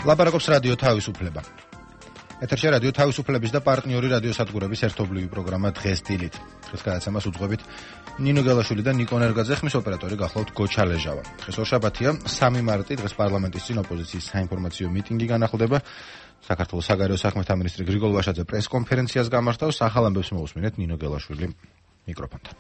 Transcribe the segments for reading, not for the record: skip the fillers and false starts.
ლაპარაკობს რადიო თავისუფლება. ეთერში რადიო თავისუფლების და პარტნიორი რადიოსადგურების ერთობლივი პროგრამა დღეს დილით. დღეს გადაცემას უძღვებით ნინო გელაშვილი და ნიკო ნერგაძე, ხმის ოპერატორი გახლავთ გოჩა ლეჟავა. დღეს ორშაბათია, 3 მარტი, დღეს პარლამენტის წინ ოპოზიციის საინფორმაციო მიტინგი განახლდება. საქართველოს საგარეო საქმეთა მინისტრი გრიგოლ ვაშაძე პრესკონფერენციას გამართავს. ახალ ამბებს მოусმინეთ ნინო გელაშვილი მიკროფონთან.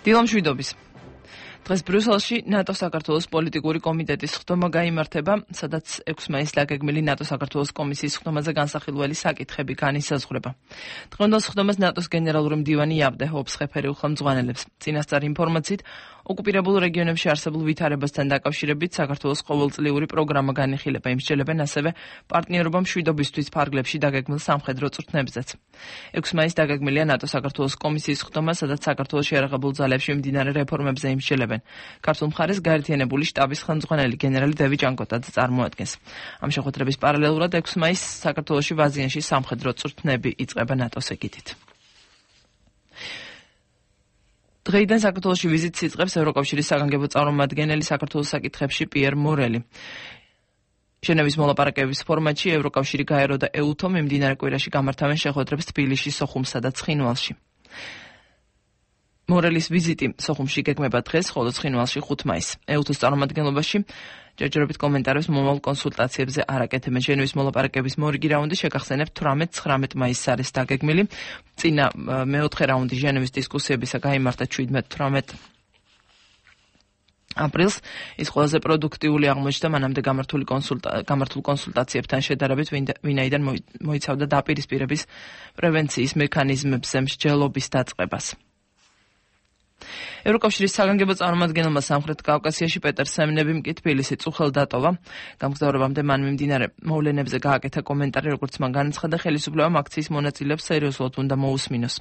დილამშვიდობის. დღეს ბრიუსელში ნატო საქართველოს პოლიტიკური კომიტეტის ხდომა გაიმართება, სადაც 6 მაისს დაგეგმილი ნატო საქართველოს კომისიის ხდომაზე განსახილველი საკითხები განისაზღვრება. დღევანდელ ხდომას ნატოს გენერალური მდივანი იაბდე ჰობსხეფერი უხელმძღვანელებს. წინასწარი ინფორმაციით, ოკუპირებულ რეგიონებში არსებულ ვითარებასთან დაკავშირებით საქართველოს ყოველწლიური პროგრამა განიხილება. იმსჯელებენ ასევე პარტნიორობა მშვიდობისთვის ფარგლებში დაგეგმილ სამხედრო წვრთნებზეც. 6 მაისს დაგეგმილია ნატო საქართველოს კომისიის ხდომა, სადაც საქართველოს შეიარაღებულ ძალებში მიმდინარე რეფორმებზე იმსჯელებენ. ქართულ მხარეს გაერთიანებული შტაბის ხელმძღვანელი გენერალი დევი ჭანკოტაძე წარმოადგენს. ამ შეხვედრების პარალელურად 6 მაისს საქართველოში ვაზიანში სამხედრო წვრთნები იწყება ნატოს ეგიდით. დღეიდან საქართველოში ვიზიტს იწყებს ევროკავშირის საგანგებო წარმომადგენელი საქართველოს საკითხებში პიერ მორელი. ჟენევის მოლაპარაკებების ფორმატში ევროკავშირი გაერო და ეუთო მიმდინარე კვირაში გამართავენ შეხვედრებს თბილისში, სოხუმსა და ცხინვალში. მორელის ვიზიტი სოხუმში გეგმება დღეს, ხოლო ცხინვალში 5 მაისს. ეუთოს წარმომადგენლობაში ჯერჯერობით კომენტარებს მომავალ კონსულტაციებზე არ აკეთებენ. ჟენევის მოლაპარაკების მორიგი რაუნდი შეგახსენებთ 18-19 მაისს არის დაგეგმილი. წინა მეოთხე რაუნდი ჟენევის დისკუსიებისა გაიმართა 17-18 აპრილს. ის ყველაზე პროდუქტიული აღმოჩნდა მანამდე გამართულ კონსულტაციებთან შედარებით, ვინაიდან მოიცავდა დაპირისპირების პრევენციის მექანიზმებზე მსჯელობის დაწყებას. ევროკავშირის საგანგებო წარმომადგენელმა სამხრეთ კავკასიაში პეტერ სემნებიმ კი თბილისი წუხელ დატოვა. გამგზავრებამდე მან მიმდინარე მოვლენებზე გააკეთა კომენტარი, როგორც მან განაცხადა, ხელისუფლებამ აქციის მონაწილეებს სერიოზულად უნდა მოусმინოს.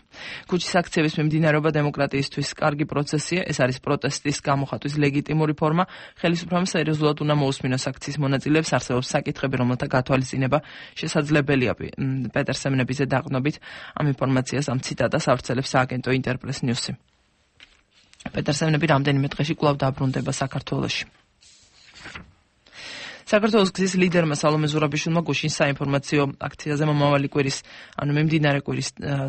ქუჩის აქციების მიმდინარეობა დემოკრატიისთვის კარგი პროცესია, ეს არის პროტესტის გამოხატვის ლეგიტიმური ფორმა. ხელისუფლებამ სერიოზულად უნდა მოусმინოს აქციის მონაწილეებს, არსებობს საკითხები, რომელთა გათვალისწინება შესაძლებელია. პეტერ სემნებიზე დაყრდნობით ამ ინფორმაციას ამ ციტატას ავრცელებს სააგენტო ინტერპრეს ნიუსი. პეტერ სემნები რამდენიმე დღეში კვლავ დაბრუნდება საქართველოში. საქართველოს გზის ლიდერმა სალომე ზურაბიშვილმა გუშინ საინფორმაციო აქციაზე მომავალი კვირის, მიმდინარე კვირის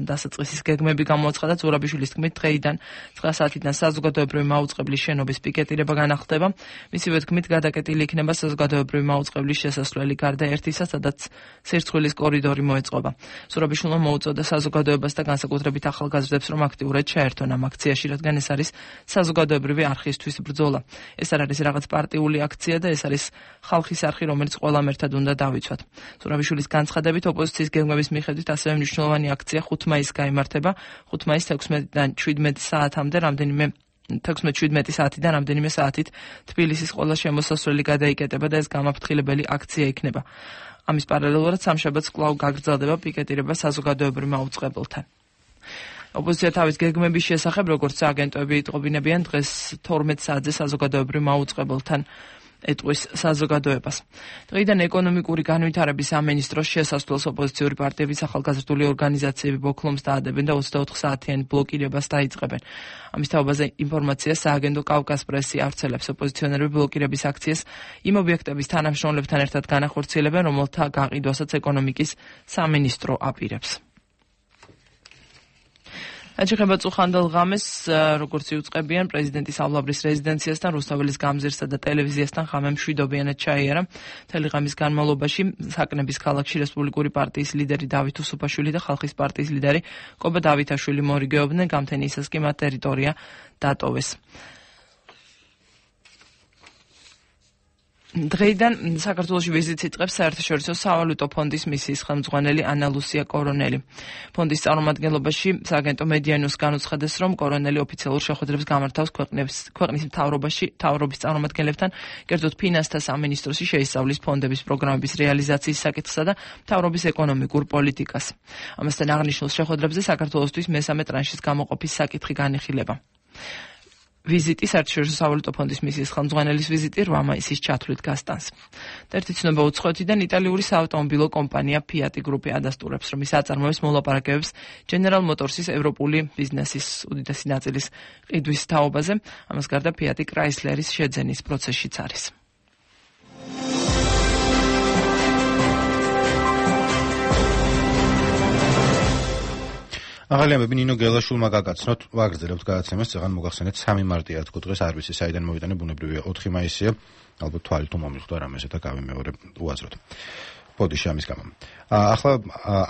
დასაწყისის გეგმები გამოაცხადა. ზურაბიშვილის თქმით, დღეიდან 9 საათიდან საზოგადოებრივი მაუწყებლის შენობის პიკეტირება განახლდება. მისივე თქმით, გადაკეტილი იქნება საზოგადოებრივი მაუწყებლის შესასვლელი გარდა ერთისა, სადაც სირცხვილის კორიდორი მოეწყობა. ზურაბიშვილმა მოუწოდა საზოგადოებას და განსაკუთრებით ახალგაზრდებს, რომ აქტიურად ჩაერთონ ამ აქციაში, რადგან ეს არის საზოგადოებრივი არხისთვის ბრძოლა. ეს არ არის რაღაც პარტიული აქცია და ეს არის ხალხის არხი, რომელიც ყველამ ერთად უნდა დავიცვათ. ზურაბიშვილის განცხადებით, ოპოზიციის გეგმების მიხედვით ასევე მნიშვნელოვანი აქცია 5 მაისს გაიმართება. 5 მაისს 16-დან 17 საათამდე 16-17 საათიდან რამდენიმე საათით თბილისის ყველა შემოსასვლელი გადაიკეტება და ეს გამაფრთხილებელი აქცია იქნება. ამის პარალელურად სამშაბათს კვლავ გაგრძელდება პიკეტირება საზოგადოებრივ მაუწყებელთან. ოპოზიცია თავის გეგმების შესახებ, როგორც სააგენტოები იტყობინებიან, დღეს 12 საათზე საზოგადოებრივ მაუწყებელთან ეტყვის საზოგადოებას. დღეიდან ეკონომიკური განვითარების სამინისტროს შესასვლელს ოპოზიციური პარტიების ახალგაზრდული ორგანიზაციები ბოქლომს დაადებენ და 24 საათიანი ბლოკირებას დაიწყებენ. ამის თაობაზე ინფორმაციას სააგენტო კავკას პრესი ავრცელებს. ოპოზიციონერები ბლოკირების აქციას იმ ობიექტების თანამშრომლებთან ერთად განახორციელებენ, რომელთა გაყიდვასაც ეკონომიკის სამინისტრო აპირებს. აჩეხება წუხანდელ ღამეს, როგორც იუწყებიან პრეზიდენტის ავლაბრის რეზიდენციასთან, რუსთაველის გამზირსა და ტელევიზიასთან ღამე მშვიდობიანად ჩაიარა. მთელი ღამის განმავლობაში საკნების ქალაქში რესპუბლიკური პარტიის ლიდერი დავით უსუფაშვილი და ხალხის პარტიის ლიდერი კობა დავითაშვილი მორიგეობდნენ, გამთენიისას კი მათ ტერიტორია დატოვეს. დღეიდან საქართველოში ვიზიტს იწყებს საერთაშორისო სავალუტო ფონდის მისიის ხელმძღვანელი ანა ლუსია კორონელი. ფონდის წარმომადგენლობაში სააგენტო მედია ნიუს განუცხადეს, რომ კორონელი ოფიციალურ შეხვედრებს გამართავს ქვეყნის მთავრობის წარმომადგენლებთან, კერძოდ ფინანსთა სამინისტროში შეისწავლის ფონდების პროგრამების რეალიზაციის საკითხსა და მთავრობის ეკონომიკურ პოლიტიკას. ამასთან აღნიშნულ შეხვედრებზე საქართველოსთვის მესამე ტრანშის გამოყოფის საკითხი განიხილება. ვიზიტი საერთაშორისო სავალუტო ფონდის მისიის ხელმძღვანელის ვიზიტი 8 მაისის ჩათვლით გასტანს. და ერთი ცნობა უცხოეთიდან იტალიური საავტომობილო კომპანია Fiat Group ადასტურებს, რომ ის აწარმოებს მოლაპარაკებებს General Motors-ის ევროპული ბიზნესის უდიდესი ნაწილის ყიდვის თაობაზე. ამას გარდა Fiat Chrysler-ის შეძენის პროცესშიც არის. ახალი ამბები ნინო გელაშვილმა გაგაცნოთ, ვაგრძელებთ გადაცემას, წეგან მოგახსენეთ 3 მარტია თქო დღეს არ ვიცი საიდან მოვიტანე, ბუნებრივია 4 მაისია, ალბათ თვალი თუ მომიხვდა რამეზე და გავი მეორე უაზროთ. ბოდიში ამის გამო. ახლა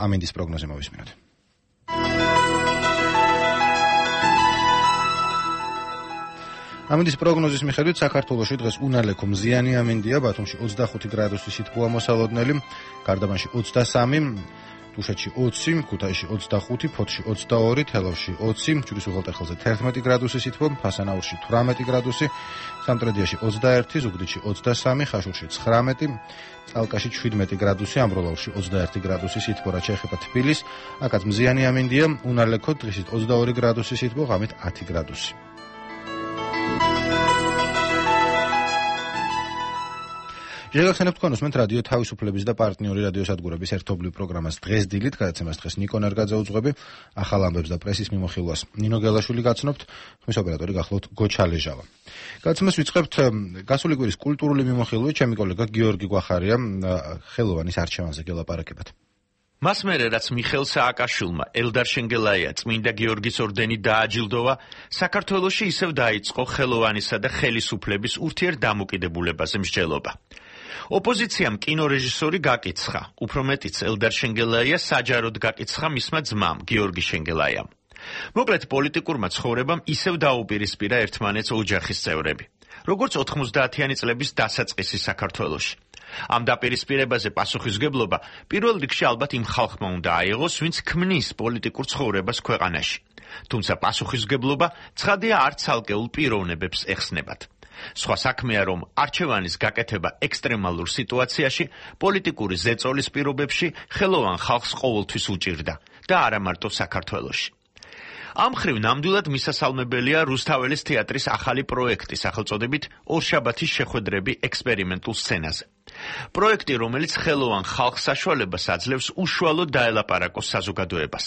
ამინდის პროგნოზე მოვისმინოთ. ამინდის პროგნოზის მიხედვით საქართველოში დღეს უნალექო მზიანი ამინდია, ბათუმში 25 გრადუსი სითბოა მოსალოდნელი, გარდაბანში 23, თუშეთში 20, ქუთაისში 25, ფოთში 22, თელავში 20, ჯვრის უღელტეხილზე 11 გრადუსი სითბო, ფასანაურში 18 გრადუსი, სამტრედიაში 21, ზუგდიდში 23, ხაშურში 19, წალკაში 17 გრადუსი, ამბროლაურში 21 გრადუსი სითბო, რაც შეეხება თბილისს, აქაც მზიანი ამინდია, უნალექო დღისით 22 გრადუსი სითბო, ღამით 10 გრადუსი. შეგახსენებთ თქვენ უსმენთ რადიო თავისუფლების და პარტნიორი რადიოსადგურების ერთობლივ პროგრამას დღეს დილით, გადაცემას დღეს ნიკო ნერგაძე უძღვები, ახალ ამბებს და პრესის მიმოხილვას ნინო გელაშვილი გაცნობთ, ხმის ოპერატორი გახლავთ გოჩა ლეჟავა. გადაცემას ვიწყებთ გასული კვირის კულტურული მიმოხილვით, ჩემი კოლეგა გიორგი გვახარია ხელოვანის არჩევანზე გელაპარაკებათ. მას მერე რაც მიხეილ სააკაშვილმა ელდარ შენგელაია წმინდა გიორგის ორდენით დააჯილდოვა, საქართველოში ისევ დაიწყო ხელოვანისა და ხელისუფლების ურთიერთდამოკიდებულებაზე მსჯელობა. ოპოზიციამ კინორეჟისორი გაკიცხა, უფრო მეტიც ელდარ შენგელაია საჯაროდ გაკიცხა მისმა ძმამ გიორგი შენგელაიამ. მოკლედ პოლიტიკურმა ცხოვრებამ ისევ დაუპირისპირა ერთმანეთს ოჯახის წევრები, როგორც 90-იანი წლების დასაწყისი საქართველოში. ამ დაპირისპირებაზე პასუხისმგებლობა პირველ რიგში ალბათ იმ ხალხმა უნდა აიღოს, ვინც ქმნის პოლიტიკურ ცხოვრებას ქვეყანაში. თუმცა პასუხისმგებლობა ცხადია არ ცალკეულ პიროვნებებს ეხსნებათ. სხვა საქმეა, რომ არჩევანის გაკეთება ექსტრემალურ სიტუაციაში, პოლიტიკური ზეწოლის პირობებში ხელოვან ხალხს ყოველთვის უჭირდა და არა მარტო საქართველოში. ამ ხრივ ნამდვილად მისასალმებელია რუსთაველის თეატრის ახალი პროექტი სახელწოდებით ორშაბათის შეხვედრები ექსპერიმენტულ სცენაზე. პროექტი, რომელიც ხელოვან ხალხს საშუალებას აძლევს უშუალოდ დაელაპარაკოს საზოგადოებას.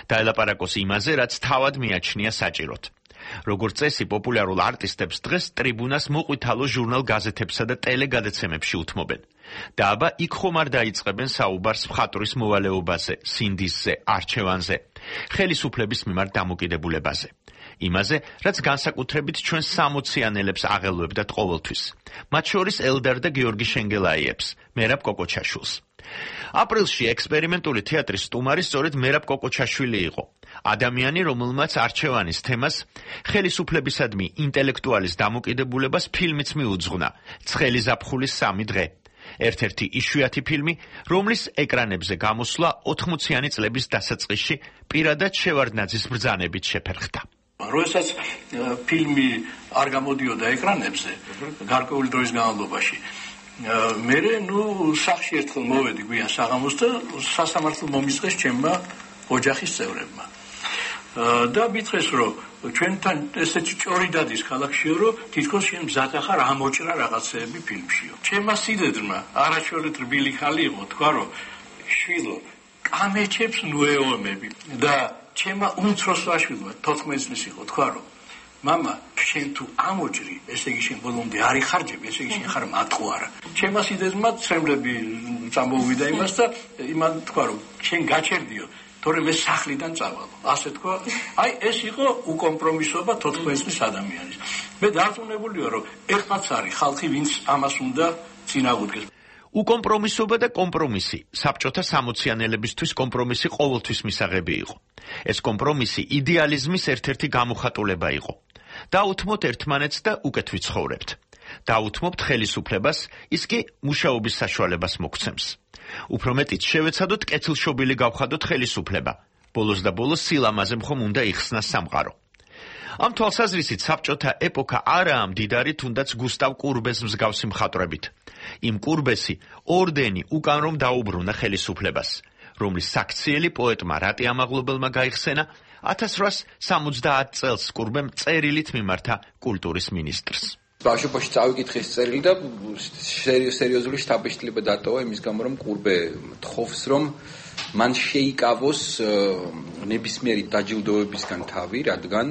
დაელაპარაკოს იმაზე, რაც თავად მიაჩნია საჭიროდ. როგორც წესი, პოპულარულ არტისტებს დღეს ტრიბუნას მოყვითალო ჟურნალ-გაზეთებსა და ტელეგადაცემებში უთმობენ. და აბა იქ ხომ არ დაიწყებენ საუბარს მხატვრის მოვალეობაზე, სინდისზე, არჩევანზე, ხელისუფლების მიმართ დამოკიდებულებაზე. იმაზე, რაც განსაკუთრებით ჩვენ 60-იანელებს აღელვებდათ ყოველთვის. მათ შორის ელდარ და გიორგი შენგელაიებს, მერაბ კოკოჩაშვილს. აპრილში ექსპერიმენტული თეატრის სტუმარი სწორედ მერაბ კოკოჩაშვილი იყო. ადამიანი, რომელმაც არჩევანის თემას ხელისუფლებისადმი ინტელექტუალის დამოკიდებულებას ფილმიც მიუძღვნა, ცხელი ზაფხულის 3 დღე. ერთ-ერთი იშვიათი ფილმი, რომლის ეკრანებზე გამოსვლა 80-იანი წლების დასაწყისში პირადად შევარდნაძის ბრძანებით შეფერხდა. როდესაც ფილმი არ გამოდიოდა ეკრანებზე, გარკვეული დროის განმავლობაში, მე სახში ერთხელ მოვედი გვიან საღამოს და სასამართლო მომიწყეს ჩემმა ოჯახის წევრებმა. და მითხრეს, რომ ჩვენთან ესეთი ჭორი დადის ქალაქშიო, რომ თითქოს შენ მზად ახარ ამოჭრა რაღაცეები ფილმშიო. ჩემმა სიდედრმა არაჩვეულებრივ რბილი ხალი იყო, თქვა, რომ შვილო, კამეჩებს ნუეომები და ჩემმა უმცროს ვაშვილმა 14 წლის იყო, თქვა, რომ მამა, შენ თუ ამოჭრი, ესე იგი შენ ბოლომდე არ იხარჯები, ესე იგი შენ ხარ მატყუარა. ჩემმა სიდედრმა ცრემლები წამოვიდა იმას და იმან თქვა, რომ შენ გაჩერდიო, თორემ მე სახლიდან წავალო. ასე თქვა, აი ეს იყო უკომპრომისობა 14 წლის ადამიანის. მე დარწმუნებული ვარ, რომ ეხლაც არის ხალხი, ვინც ამას უნდა წინააღმდეგეს. უკომპრომისობა და კომპრომისი საბჭოთა 60-იანელებისთვის კომპრომისი ყოველთვის მისაღები იყო. ეს კომპრომისი იდეალიზმის ერთ-ერთი გამოხატულება იყო. დაუთმოთ ერთმანეთს და უკეთ ვიცხოვრებთ. დაუთმობთ ხელისუფლებას, ის კი მუშაობის საშუალებას მოგცემს. უფრო მეტიც შევეცადოთ კეთილშობილი გავხადოთ ხელისუფლება. ბოლოს და ბოლოს სილამაზე მხომ უნდა იხსნას სამყარო. ამ თვალსაზრისით საბჭოთა ეპოქა არაა მდიდარი თუნდაც გუსტავ კურბეს მსგავსი მხატვრებით. იმ კურბესი ორდენი უკან რომ დაუბრუნა ხელისუფლებას, რომლის საქციელი პოეტმა რატი ამაღლობელმა გაიხსენა, 1870 წელს კურბემ წერილით მიმართა კულტურის მინისტრს. ბავშვობაში წავიკითხე ეს წერილი და სერიოზული შთაბეჭდილება დატოვა იმის გამო, რომ კურბე თხოვს, რომ მან შეიკავოს ნებისმიერი დაჯილდოებისგან თავი, რადგან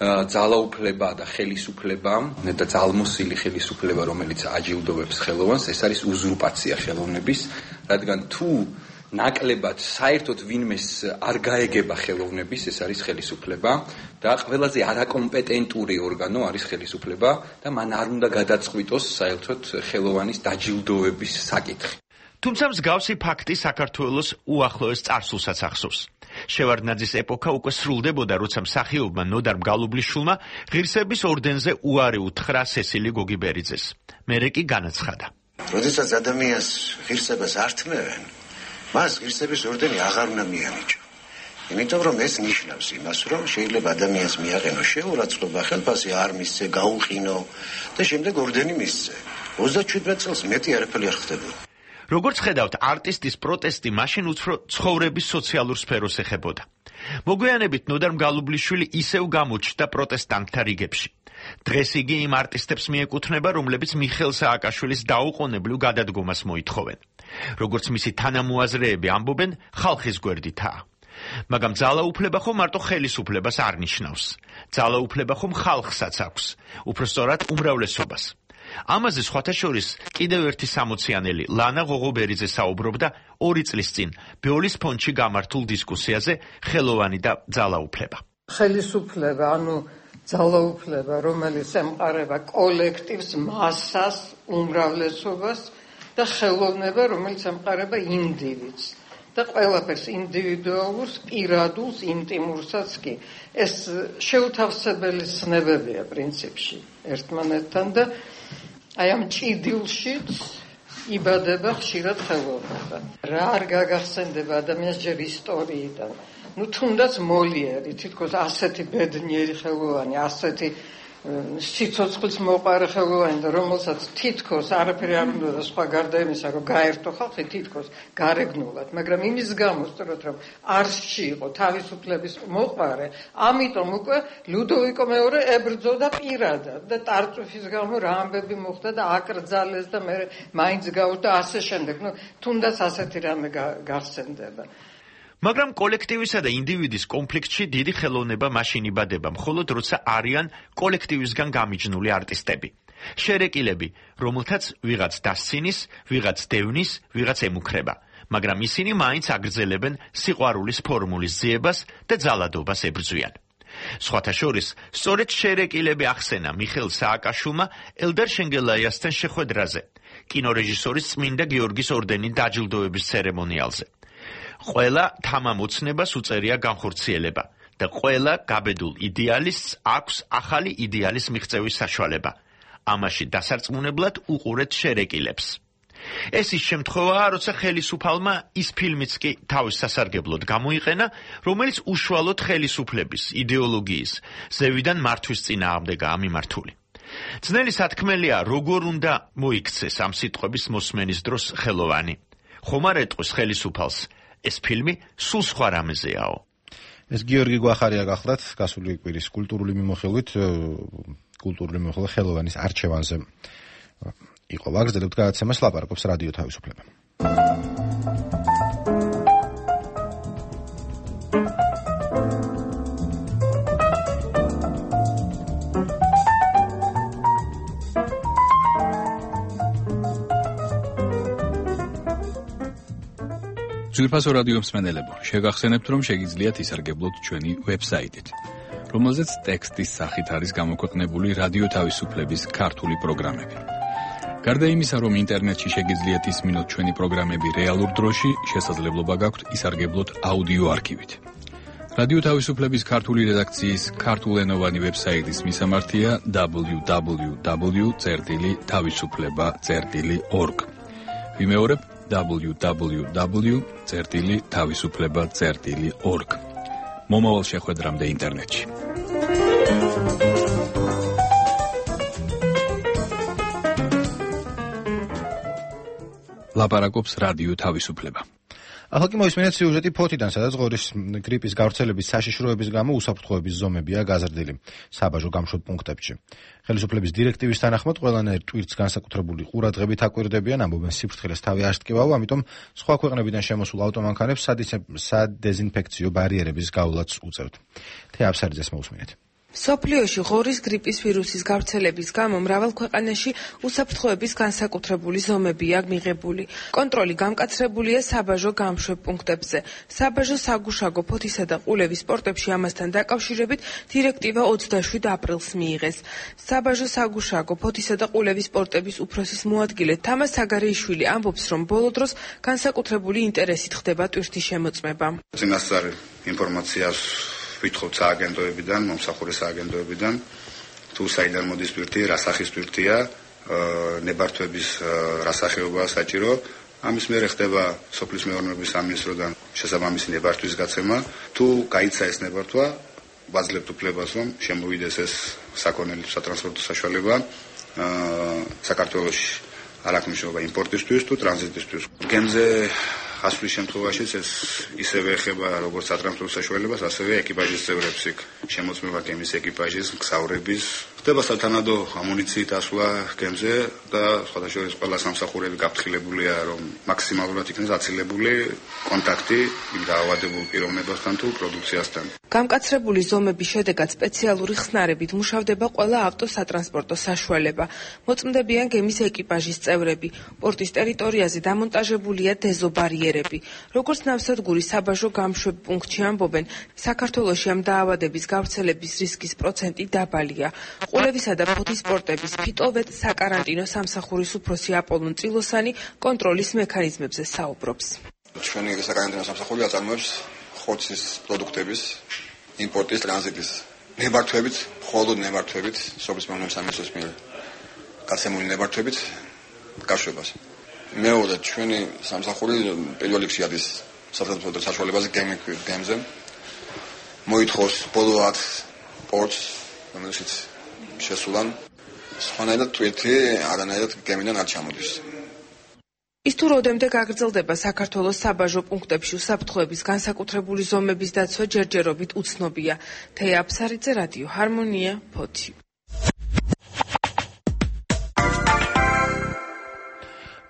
ძალაუფლება და ხელისუფლება და ძალმოსილი ხელისუფლება, რომელიც აჯილდოვებს ხელოვანს, ეს არის უზურპაცია ხელოვნების, რადგან თუ ნაკლებად საერთოდ ვინმეს არ გაეგება ხელოვნების, ეს არის ხელისუფლება და ყველაზე არაკომპეტენტური ორგანო არის ხელისუფლება და მან არ უნდა გადაწყვიტოს საერთოდ ხელოვანის დაჯილდოების საკითხი. თუმცა მსგავსი ფაქტი საქართველოს უახლოეს წარსულსაც ახსოვს. შევარდნაძის ეპოქა უკვე სრულდებოდა, როცა მსახიობმა ნოდარ მგალობლიშვილმა ღირსების ორდენზე უარი უთხრა სესილი გოგიბერიძეს. მერე კი განაცხადა. როდესაც ადამიანს ღირსებას არ თმევენ, მას ღირსების ორდენი აღარ უნდა მიანიჭო. იმიტომ რომ ეს ნიშნავს იმას, რომ შეიძლება ადამიანს მიაყენო შეურაცხყოფა, ხელფასი არ მისცე, გაუყინო და შემდეგ ორდენი მისცე. 37 წელს მეტი არაფერი არ ხდებოდა. როგორც ხედავთ, არტისტის პროტესტი მაშინ უფრო ცხოვრების სოციალურ სფეროს ეხებოდა. მოგვიანებით ნოდარ მგალობლიშვილი ისევ გამოჩნდა პროტესტანტთა რიგებში. დღეს იგი იმ არტისტებს მიეკუთვნება, რომლებიც მიხეილ სააკაშვილის დაუყოვნებლივ გადადგომას მოითხოვენ. როგორც მისი თანამოაზრეები ამბობენ, ხალხის გვერდითაა. მაგრამ ძალაუფლება ხომ მარტო ხელისუფლებას არ ნიშნავს. ძალაუფლება ხომ ხალხსაც აქვს, უბრალოდ უმრავლესობას. ამაზე სხვათა შორის კიდევ ერთი სამოციანელი ლანა ღოღობერიძე საუბრობდა 2 წლის წინ ბეოლის ფონდში გამართულ დისკუსიაზე ხელოვანი და ძალაუფლება. ხელისუფლება, ანუ ძალაუფლება, რომელიც ემყარება კოლექტივს, მასას, უმრავლესობას და ხელოვნება, რომელიც ემყარება ინდივიდს და ყველაფერს ინდივიდუალურს, პირადულს, ინტიმურსაც კი. ეს შეუთავსებელი ცნებებია პრინციპში ერთმანეთთან და აი ამ ჭიდილშიც იბადება ხშირად ხელოვნება. რა არ გაგახსენდება ადამიანს ჯერ ისტორიიდან. თუნდაც მოლიერი, თითქოს ასეთი ბედნიერი ხელოვანი, ასეთი სიცოცხლის მოყარე ხელოვანი და რომელსაც თითქოს არაფერი არ უნდა და სხვა გარდა იმისა, რომ გაერთო ხალხი თითქოს გარეგნულად, მაგრამ იმის გამო სწორად რომ არსში იყო თავისუფლების მოყარე, ამიტომ უკვე ლუდოვიკო მეორე ებრძოდა პირადად და ტარწუφის გამო რა ამბები მოხდა და აკრძალეს და მე მაინც გავუდა ასე შემდეგ. თუნდაც ასეთი რამე გახსენდება. მაგრამ კოლექტივისა და ინდივიდის კონფლიქტში დიდი ხელოვნება მაშინ იბადება, მხოლოდ როცა არიან კოლექტივისგან გამიჯნული არტისტები. შერეკილები, რომელთაც ვიღაც დასცინის, ვიღაც დევნის, ვიღაც ემუქრება, მაგრამ ისინი მაინც აგრძელებენ სიყვარულის ფორმულის ძიებას და ძალადობას ებრძვიან. სხვათა შორის, სწორედ შერეკილები ახსენა მიხეილ სააკაშვილმა ელდარ შენგელაიასთან შეხვედრაზე, კინორეჟისორის წმინდა გიორგის ორდენით დაჯილდოების ცერემონიალზე. ყველა თამამოცნებას უწერია განხორციელება და ყველა გაბედულ იდეალისტს აქვს ახალი იდეალის მიღწევის საშუალება. ამაში დასარწმუნებლად უყურეთ შერეკილებს. ეს ის შემთხვევაა, როცა ხელისუფალმა ის ფილმიც კი თავის სასარგებლოდ გამოიყენა, რომელიც უშუალოდ ხელისუფლების, იდეოლოგიის, ზევიდან მართვის წინააღმდეგაა მიმართული. ძნელი სათქმელია, როგორ უნდა მოიქცეს ამ სიტყვების მოსმენის დროს ხელოვანი. ხომ არ ეტყვის ხელისუფალს, ეს ფილმი სულ სხვა რამეზეაო. ეს გიორგი გვახარია გახლდათ გასული კვირის კულტურული მიმოხილვით ხელოვანის არჩევანზე იყო. ვაგრძელებთ გადაცემას, ლაპარაკობს რადიო თავისუფლება. ძვირფასო რადიო მსმენელებო, შეგახსენებთ, რომ შეგიძლიათ ისარგებლოთ ჩვენი ვებსაიტით, რომელზეც ტექსტის სახით არის გამოქვეყნებული რადიო თავისუფლების ქართული პროგრამები. გარდა იმისა, რომ ინტერნეტში შეგიძლიათ ისმინოთ ჩვენი პროგრამები რეალურ დროში, შესაძლებლობა გაქვთ ისარგებლოთ აუდიო არქივით. რადიო თავისუფლების ქართული რედაქციის ქართულენოვანი ვებსაიტის მისამართია www.tavisufleba.org. ვიმეორებ www.tavisufleba.org. მომავალ შეხვედრამდე ინტერნეტში. ლაპარაკობს რადიო თავისუფლება. ახლა კი მოისმინეთ სიუჟეტი ფოთიდან, სადაც ღორის გრიპის გავრცელების საშიშროების გამო უსაფრთხოების ზომებია გაზრდილი საბაჟო გამშვებ პუნქტებში. ხელისუფლების დირექტივის თანახმად ყველანაირ ტვირთს განსაკუთრებული ყურადღებით აკვირდებიან, ამბობენ სიფრთხილეს თავი არ სტკივაო, ამიტომ სხვა ქვეყნებიდან შემოსულ ავტომანქანებს სადეზინფექციო ბარიერების გავლაც უწევთ. თეაფსარიძეს მოусმინეთ. სოფლიოში ღორის გრიპის ვირუსის გავრცელების გამო მრავალ ქვეყანაში უსაფრთხოების განსაკუთრებული ზომებია მიღებული. კონტროლი გამკაცრებულია საბაჟო გამშვებ პუნქტებზე. საბაჟო საგუშაგო ფოთისა და ყულევის სპორტებში ამასთან დაკავშირებით დირექტივა 27 აპრილს მიიღეს. საბაჟო საგუშაგო ფოთისა და ყულევის სპორტების უფროსის მოადგილე თამას საგარეიშვილი ამბობს, რომ ბოლო დროს განსაკუთრებული ინტერესით ხდება ტვირთის შემოწმება. წინასწარი ინფორმაციას ვითხოვთ სააგენტოებიდან, მომსახურე სააგენტოებიდან, თუ საიდან მოდის ტვირთი, რა სახის ტვირთია, ნებართვების რა სახეობაა საჭირო. ამის მერე ხდება სოფლის მეურნეობის სამინისტროდან შესაბამისი ნებართვის გაცემა. თუ გაიცა ეს ნებართვა, ვაძლევთ უფლებას, რომ შემოვიდეს ეს საქონელი სატრანსპორტო საშუალება საქართველოში არ აქვს მნიშვნელობა იმპორტისთვის თუ ტრანზიტისთვის. გემზე ასვლის შემთხვევაშიც ეს ისევე ეხება როგორც სატრანსპორტო საშუალებას, ასევე ეკიპაჟის წევრებს, შემოწმება გემის ეკიპაჟის, მგზავრების. ხდება სათანადო ამუნიციით ასვლა გემზე და სხვადასხვა ყველა სამსახურები გაფრთხილებულია, რომ მაქსიმალურად იქნეს აცილებული კონტაქტი იმ დაავადებულ პიროვნებასთან თუ პროდუქციასთან. გამკაცრებული ზომების შედეგად სპეციალური ხსნარებით მუშავდება ყველა ავტოსატრანსპორტო საშუალება. მოწმდებიან გემის ეკიპაჟის წევრები. პორტის ტერიტორიაზე დამონტაჟებულია დეზობარიერები. როგორც ნავსადგური საბაჟო გამშვებ პუნქტში ამბობენ, საქართველოში ამ დაავადების გავრცელების რისკის პროცენტი დაბალია. ყულევისა და ფოთის სპორტების ფიტოვეთ საკარანტინო სამსახურის უფროსი აპოლონ წილოსანი კონტროლის მექანიზმებზე საუბრობს. ჩვენი საკარანტინო სამსახური აწარმოებს ხორცის პროდუქტების იმპორტის ტრანზიტის ნებართვებით, მხოლოდ ნებართვებით, სოფლის მეურნეობის სამინისტროს მიერ გაცემული ნებართვებით გაშვებას. მეორე ჩვენი სამსახური პირველ რიგში არის სატრანსპორტო საშუალებაზე გემზე. მოითხოვს ბოლო 10 პორტს, რომელშიც შესულან სხვანაირად ტვირთი არანაირად გემიდან არ ჩამოდის. ის თუ როდემდე გაგრძელდება საქართველოს საბაჟო პუნქტებში უსაფრთხოების განსაკუთრებული ზომების დაცვა ჯერჯერობით უცნობია. თეაფსარიძე, რადიო ჰარმონია, ფოთი.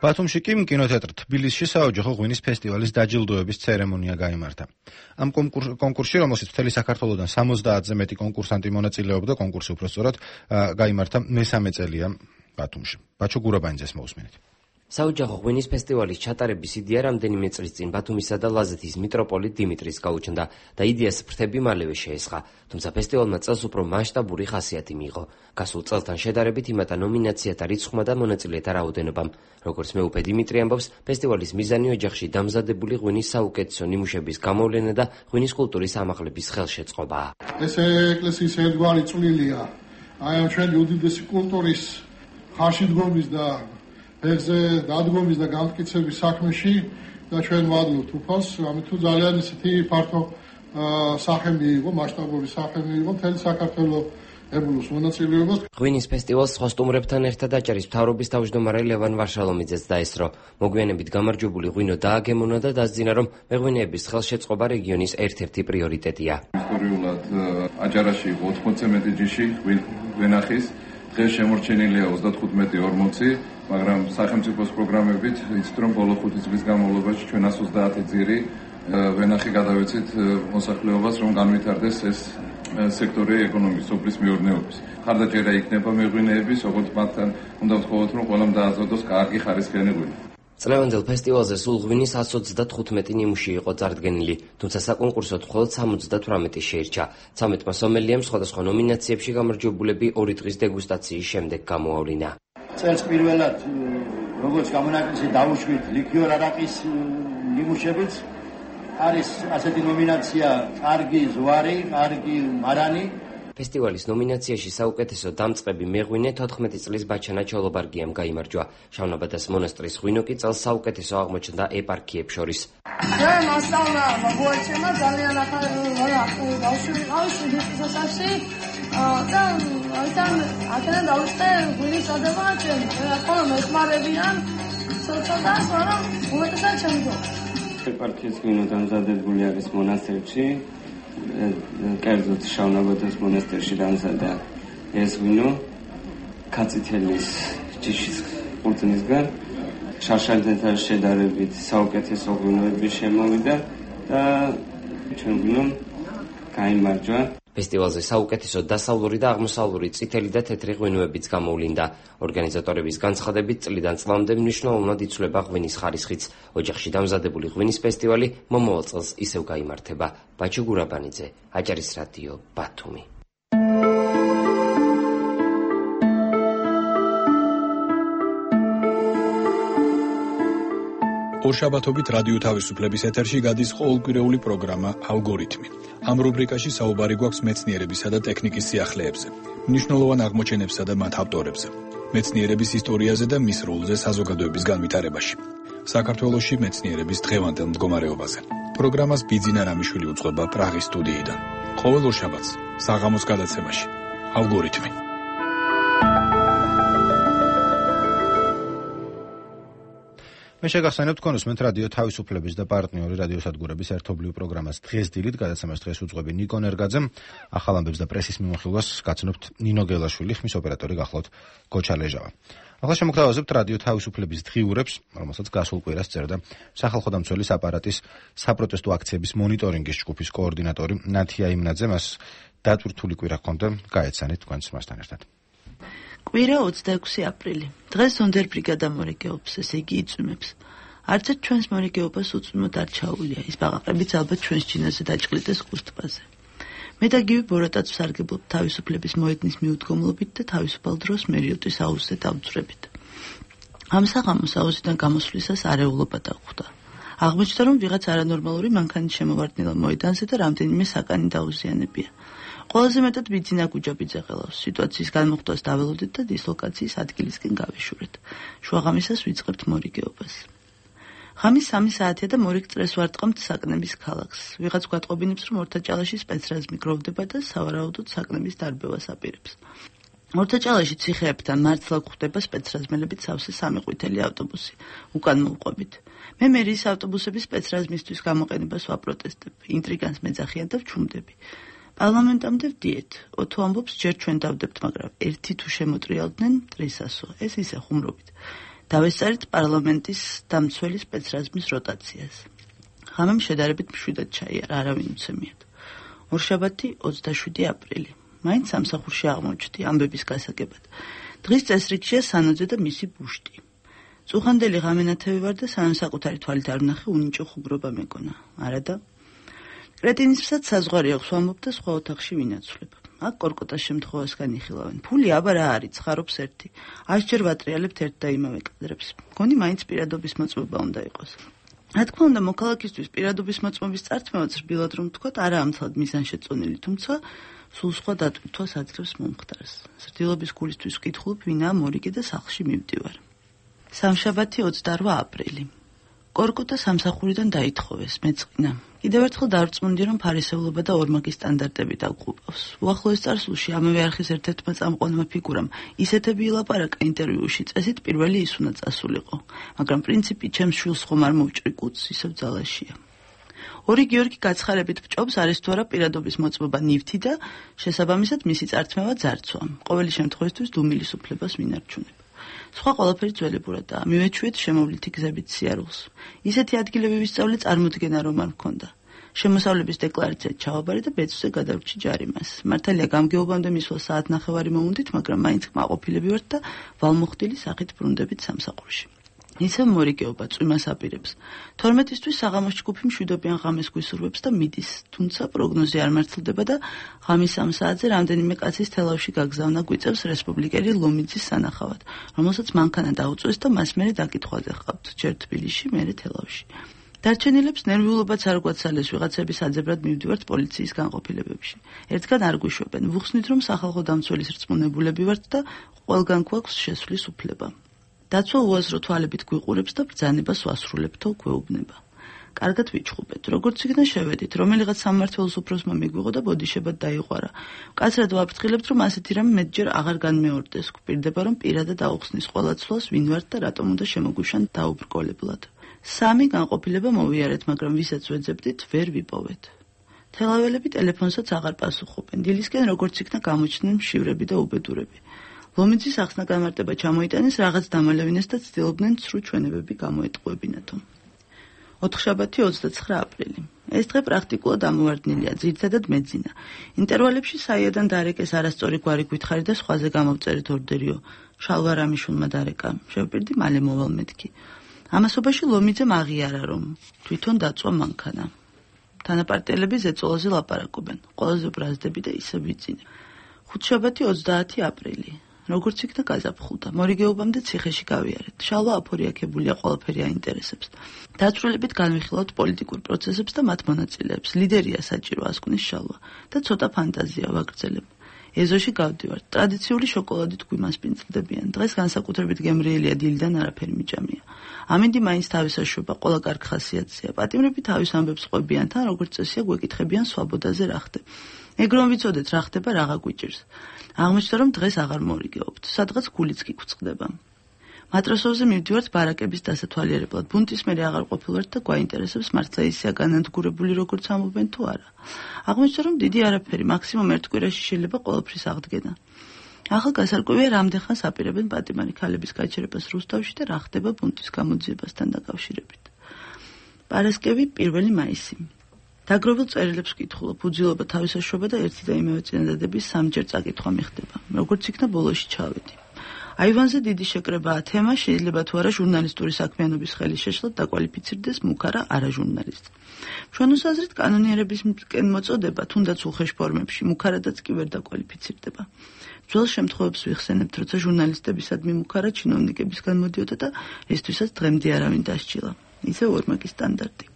ბათუმში კი კინოთეატრ თბილისში საოჯახო ღვინის ფესტივალის დაჯილდოების ცერემონია გაიმართა. ამ კონკურსში, რომელშიც მთელი საქართველოდან 70-ზე მეტი კონკურსანტი მონაწილეობდა, კონკურსი უпростоრად გაიმართა მესამე წელია ბათუმში. ბაჩო გურაბანიძეს მოусმინეთ. საოჯახო ღვინის ფესტივალის ჩატარების იდეა რამდენიმე წლის წინ ბათუმისა და ლაზეთის მიტროპოლიტ დიმიტრის გაუჩნდა და იდეას ფრთები მალევე შეესხა, თუმცა ფესტივალმა წელს უფრო მასშტაბური ხასიათი მიიღო. გასულ წელთან შედარებით იმატა ნომინაციათა რიცხვმა და მონაწილეთა რაოდენობამ. როგორც მეუფე დიმიტრი ამბობს, ფესტივალის მიზანი ოჯახში დამზადებული ღვინის საუკეთესო ნიმუშების გამოვლენა და ღვინის კულტურის ამაღლების ხელშეწყობაა. ეს ეკლესიის ერთგვარი წვლილია აი ამ ჩვენი უდიდესი კულტურის ხარში დგომის და ეხზე დადგომის და განმტკიცების საქმეში და ჩვენ ვადლობთ უფალს, ამით თუ ძალიან ისეთი ფართო სახე მიიღო, მასშტაბური სახე მიიღო მთელი საქართველოს ებულოს მონაწილეობას. ღვინის ფესტივალს სხვა სტუმრებთან ერთად აჭარის მთავრობის თავმჯდომარე ლევან ვარშალომიძეც დაესწრო. მოგვიანებით გამარჯვებული ღვინო დააგემონა და დასძინა, რომ მეღვინეების ხელშეწყობა რეგიონის ერთ-ერთი პრიორიტეტია. ისტორიულად აჭარაში იყო 80-ზე მეტი ჯიში ვენახის, დღეს შემორჩენილია 35-40, მაგრამ სახელმწიფოს პროგრამებით იცით, რომ ბოლო 5 წლის განმავლობაში ჩვენ 130 ძირი ვენახი გადავეცით მოსახლეობას, რომ განვითარდეს ეს სექტორი ეკონომიკის, სოფლის მეურნეობის. ხარდაჭერა იქნება მეღვინეების, როგორც მათთან უნდა ვთხოვოთ, რომ ყველამ დააზრდოს კარგი ხარისხიანი ღვინო. წლევანდელ ფესტივალზე სულ ღვინის 135 ნიმუში იყო წარდგენილი, თუმცა საკონკურსოდ მხოლოდ 78 შეირჩა. 13 სომელიამ სხვადასხვა ნომინაციებში გამარჯვებულები 2 დღის დეგუსტაციის შემდეგ გამოავლინა. წელს პირველად როგორც გამონაკლისი დავუშვით ლიქიორ არაყის ნიმუშებიც არის ასეთი ნომინაცია კარგი ზვარი, კარგი მარანი. ფესტივალის ნომინაციაში საუკეთესო დამწყები მეღვინე 14 წლის ბაჩანა ჩოლობარგიამ გაიმარჯვა. შავნაბადას მონასტრის ღვინო კი წელს საუკეთესო აღმოჩნდა ეპარქიებს შორის. მე მასწავლა მოგვაჩვენა ძალიან ახალი ბავშვი ყავს შესაძლებელი და აქედან დავიწყე ღვინის ადება ჩემი. რა თქმა უნდა მეხმარებიან ცოტა, მაგრამ უმეტესად ჩემი. ეპარქიის ღვინო დამზადებული არის მონასტერში. კერძოდ შავნაბადოს მონასტერში დამზადდა ეს ღვინო კაცითელის ჯიშის ყურძნისგან. შარშანთან შედარებით საუკეთესო ღვინოები შემოვიდა და ჩვენ ღვინომ გაიმარჯვა. ფესტივალზე საუკეთესო დასავლური და აღმოსავლური წითელი და თეთრი ღვინოებიც გამოვლინდა. ორგანიზატორების განცხადებით, წლიდან წლამდე მნიშვნელოვნად იცვლება ღვინის ხარისხიც. ოჯახში დამზადებული ღვინის ფესტივალი მომავალ წელს ისევ გაიმართება. ბაჩი გურაბანიძე, აჭარის რადიო, ბათუმი. ორშაბათობით რადიო თავისუფლების ეთერში გადის ყოველკვირეული პროგრამა ალგორითმი. ამ რუბრიკაში საუბარი გვაქვს მეცნიერებისა და ტექნიკის სიახლეებზე, მნიშვნელოვან აღმოჩენებსა და მათ ავტორებზე, მეცნიერების ისტორიაზე და მის როლზე საზოგადოების განვითარებაში. საქართველოში მეცნიერების დღევანდელ მდგომარეობაზე. პროგრამას ბიძინა რამიშვილი უძღვება პრაღის სტუდიიდან. ყოველ ორშაბათს საღამოს გადაცემაში ალგორითმი. მე შეგახსენებ თქვენ უსმენთ რადიო თავისუფლების და პარტნიორი რადიოსადგურების ერთობლივ პროგრამას დღეს დილით გადაცემას დღეს უძღვები ნიკო ნერგაძე. ახალ ამბებს და პრესის მიმოხილვას გაცნობთ ნინო გელაშვილი, ხმის ოპერატორი გახლავთ გოჩა ლეჟავა. ახლა შემოგთავაზებთ რადიო თავისუფლების დღიურებს, რომელსაც გასულ კვირას წერდა სახალხო დამცველის აპარატის საპროტესტო აქციების მონიტორინგის ჯგუფის კოორდინატორი ნათია იმნაძე. მას დატვირთული კვირა ჰქონდა, გაეცანით თქვენს მასთან ერთად. კვირა 26 აპრილი. დღეს სონდერ ბრიგადა მორიგეობს, ესე იგი იწვიმებს. არც ერთ ჩვენს მორიგეობას უწვიმოდ არ ჩაუვლია. ის ბაყაყებიც ალბათ ჩვენს ჩინაზე დაჭყლიდეს ხუსტბაზე. მე და გივი ბოროტაც ვსარგებლობ თავისუფლების მოედნის მიუდგომლობით და თავისუფალ დროს მერიოტის აუზზე დავწვრებით. ამ საღამოს აუზიდან გამოსვლისას არეულობა დახვდა. აღმოჩნდა, რომ ვიღაც არანორმალური მანქანის შემოვარდნილა მოედანზე და რამდენიმე საკანი დაუზიანებია. ყველაზე მეტად ბიძინა გუჯაბიძე ყელავს. სიტუაციის განმოხტვას დაველოდეთ და დისლოკაციის ადგილისკენ გავეშურეთ. შუაღამისას ვიწყებთ მორიგეობას. ღამის 3 საათია და მორიგ წრეს ვარტყამთ საკნების ქალაქს. ვიღაც გვატყობინებს, რომ ორთაჭალაში სპეცრაზმი გროვდება და სავარაუდოდ საკნების დარბევას აპირებს. ორთაჭალაში ციხეებთან მართლა გვხვდება სპეცრაზმელებით სავსე 3 ყვითელი ავტობუსი. უკან მოვყვებით. მე მერიის ავტობუსების სპეცრაზმისთვის გამოყენებას ვაპროტესტებ. ინტრიგანს მეძახიან და ვჩუმდები. პარლამენტამდე ვდიეთ. ოთო ამბობს, ჯერ ჩვენ დავდებთ, მაგრამ ერთი თუ შემოტრიალდნენ მტრისასო. ეს ისე ხუმრობით. დავესწარით პარლამენტის დამცველი სპეცრაზმის როტაციას. ღამემ შედარებით მშვიდად ჩაიარა, არავინ უცემიათ. ორშაბათი 27 აპრილი. მაინც სამსახურში აღმოჩნდი ამბების გასაგებად. დღის წესრიგშია სანოძე და მისი ბუშტი. წუხანდელი ღამენათევი ვარ და სანამ საკუთარი თვალით არ ვნახე, უნიჭო ხუგრობა მეკონა. არადა კრეტინისთვისაც საზღვარი აქვს ვამბობ და სხვა ოთახში ვინაცვლებ. აქ კორკოტას შემთხვევას განიხილავენ. ფული აბა რა არის, ცხარობს ერთი. 100 ჯერ ვატრიალებთ ერთ და იმავე კადრებს. მგონი მაინც პირადობის მოწმობა უნდა იყოს. რა თქმა უნდა, მოქალაქისთვის პირადობის მოწმობის წართმევაც რბილად რომ ვთქვათ, არა ამცლად მიზანშეწონილი, თუმცა სულ სხვა დატვირთვას აძლევს მომხდარს. სრდილობის გულისთვის ვკითხულობ, ვინაა მორიგე და სახლში მივდივარ. სამშაბათი 28 აპრილი. კორკოტა სამსახურიდან დაითხოვეს, მეწყინა. კიდევ ერთხელ დავრწმუნდი, რომ ფარისევლობა და ორმაგი სტანდარტები დაგუყავს. უახლოეს წარსულში ამავე არხის ერთ-ერთმა წამყვანმა ფიგურამ ისეთები ილაპარაკა ინტერვიუში, წესით პირველი ის უნდა წასულიყო. მაგრამ პრინციპი ჩემს შვილს ხომ არ მოვჭრი კუც, ისევ ძალაშია. ორი გიორგი გაცხარებით ვჭობს, არის თუ არა პირადობის მოწმობა ნივთი და შესაბამისად მისი წართმევა ძარცვა. ყოველი შემთხვევისთვის დუმილის უფლებას ვინარჩუნებ. სხვა ყველაფერი ძველებურადაა. მივეჩვიეთ შემოვლითი გზებით სიარულს. ისეთი ადგილები ვისწავლე წარმოდგენა რომ არ მქონდა. შემოსავლების დეკლარაცია ჩავაბარე და ბეწვზე გადავრჩი ჯარიმას. მართალია გამგეობამდე მისვლა საათნახევარი მოუნდით, მაგრამ მაინც კმაყოფილები ვართ და ვალმოხდილი სახით ბრუნდებით სამსახურში. ისევ მორიგეობა წვიმას აპირებს. 12-ისთვის საღამოს ჯგუფი მშვიდობიან ღამეს გვისურვებს და მიდის, თუმცა პროგნოზი არ მართლდება და ღამის 3 საათზე რამდენიმე კაცის თელავში გაგზავნა გვიწევს რესპუბლიკელი ლომიძის სანახავად, რომელსაც მანქანა დაუწვეს და მას მერე დაკითხვაზე ჰყავთ, ჯერ თბილისში, მერე თელავში. დარჩენილებს ნერვიულობაც არ გვაცალეს, ვიღაცების აძებრად მივდივართ პოლიციის განყოფილებებში. ერთგან არ გვიშვებენ, ვუხსნით რომ სახალხო დამცველის რწმუნებულები ვართ და ყველგან გვაქვს შესვლის უფლება. დაცვა უაზრო თვალებით გვიყურებს და ბრძანებას ვასრულებთო გვეუბნება. კარგად ვიჩხუბეთ, როგორც იქნა შევედით, რომელიღაც სამმართველოს უფროსმა მიგვიღო და ბოდიშებად დაიყვარა. კაცრად ვაფრთხილებთ, რომ ასეთი რამ მეტჯერ აღარ განმეორდეს. გვპირდება, რომ პირადად აუხსნის ყველა ცვლას, ვინ ვართ და რატომ უნდა შემოგვიშან დაუბრკოლებლად. 3 განყოფილება მოვიარეთ, მაგრამ ვისაც ვეძებდით, ვერ ვიპოვეთ. თელაველები ტელეფონსაც აღარ პასუხობენ. დილისკენ როგორც იქნა გამოჩნდნენ მშივრები და უბედურები. ლომიძის ახსნა გამარტება ჩამოიტანეს, რაღაც დამალევინეს და ცდილობდნენ ცრუ ჩვენებები გამოეტყუებინათო. ოთხშაბათი 29 აპრილი. ეს დღე პრაქტიკულად ამოვარდნილია, ძირითადად მეძინა. ინტერვალებში საიადან დარეკეს არასწორი გვარი გვითხარი და სხვაზე გამოვწერეთ ორდერიო. შალვარამიშვილმა დარეკა. შევპირდი მალე მოვალ მეთქი. ამასობაში ლომიძემ აღიარა, რომ თვითონ დაწვა მანქანა. თანაპარტიელები ზეწოლაზე ლაპარაკობენ. ყველაზე ბრაზდები და ისე ვიწინე. ხუთშაბათი 30 აპრილი. როგორც იქნა გაზაფხულდა, მორიგეობამდე ციხეში გავიარეთ. შალვა აფორიაქებულია, ყველაფერი აინტერესებს. დაწვრილებით განვიხილავთ პოლიტიკურ პროცესებს და მათ მონაწილეებს. ლიდერია საჭირო, ასკვნის შალვა და ცოტა ფანტაზია ვაგრძელებ. ეზოში გავდივართ. ტრადიციული შოკოლადით გვიმასპინძლდებიან. დღეს განსაკუთრებით გემრიელია, დილიდან არაფერი მიჭამია. ამინდი მაინც თავისაშობა, ყველა კარგ ხასიათზეა. პატიმრები თავის ამბებს ყვებიან, თან როგორც წესია გვეკითხებიან სვაბოდაზე რა ხდება. ეგ რომ ვიცოდეთ რა ხდება, რაღა გვიჭირს. აღმოჩნდა რომ დღეს აღარ მორიგეობთ. სადღაც გულიც კი გვწყდება. მატროსოვზე მივდივართ ბარაკების დასათვალიერებლად. ბუნტის მერე აღარ ყოფილვართ და გვაინტერესებს მართლა ისეა განადგურებული როგორც ამობენ თუ არა. აღმოჩნდა რომ დიდი არაფერი, მაქსიმუმ ერთ კვირაში შეიძლება ყველაფრის აღდგენა. ახალ გასარკვევია რამდენხანს აპირებენ პატიმარი ქალების გაჩერებას რუსთავში და რა ხდება ბუნტის გამოძიებასთან დაკავშირებით. პარასკევი 1 მაისი. დაგროვილ წერილებს ვკითხულობ, უძილობა, თავისაშობა და ერთი და იმავე წინადადების სამჯერ წაკითხვა მიხდება. როგორც იქნა ბოლოში ჩავედი. აივანზე დიდი შეკრებაა თემა, შეიძლება თუ არა ჟურნალისტური საქმიანობის ხელის შეშლად დაკვალიფიცირდეს მუქარა არაჟურნალისტი. ჩვენოს აზრით კანონიერებისკენ მოწოდება, თუნდაც უხეშ ფორმებში, მუქარადაც კი ვერ დაკვალიფიცირდება. ძველ შემთხვევებს ვიხსენებთ, როცა ჟურნალისტებისადმი მუქარა ჩინოვნიკებისგან მოდიოდა და ესთვისაც დღემდე არავინ დასჯილა. ისე ორმაგი სტანდარტი.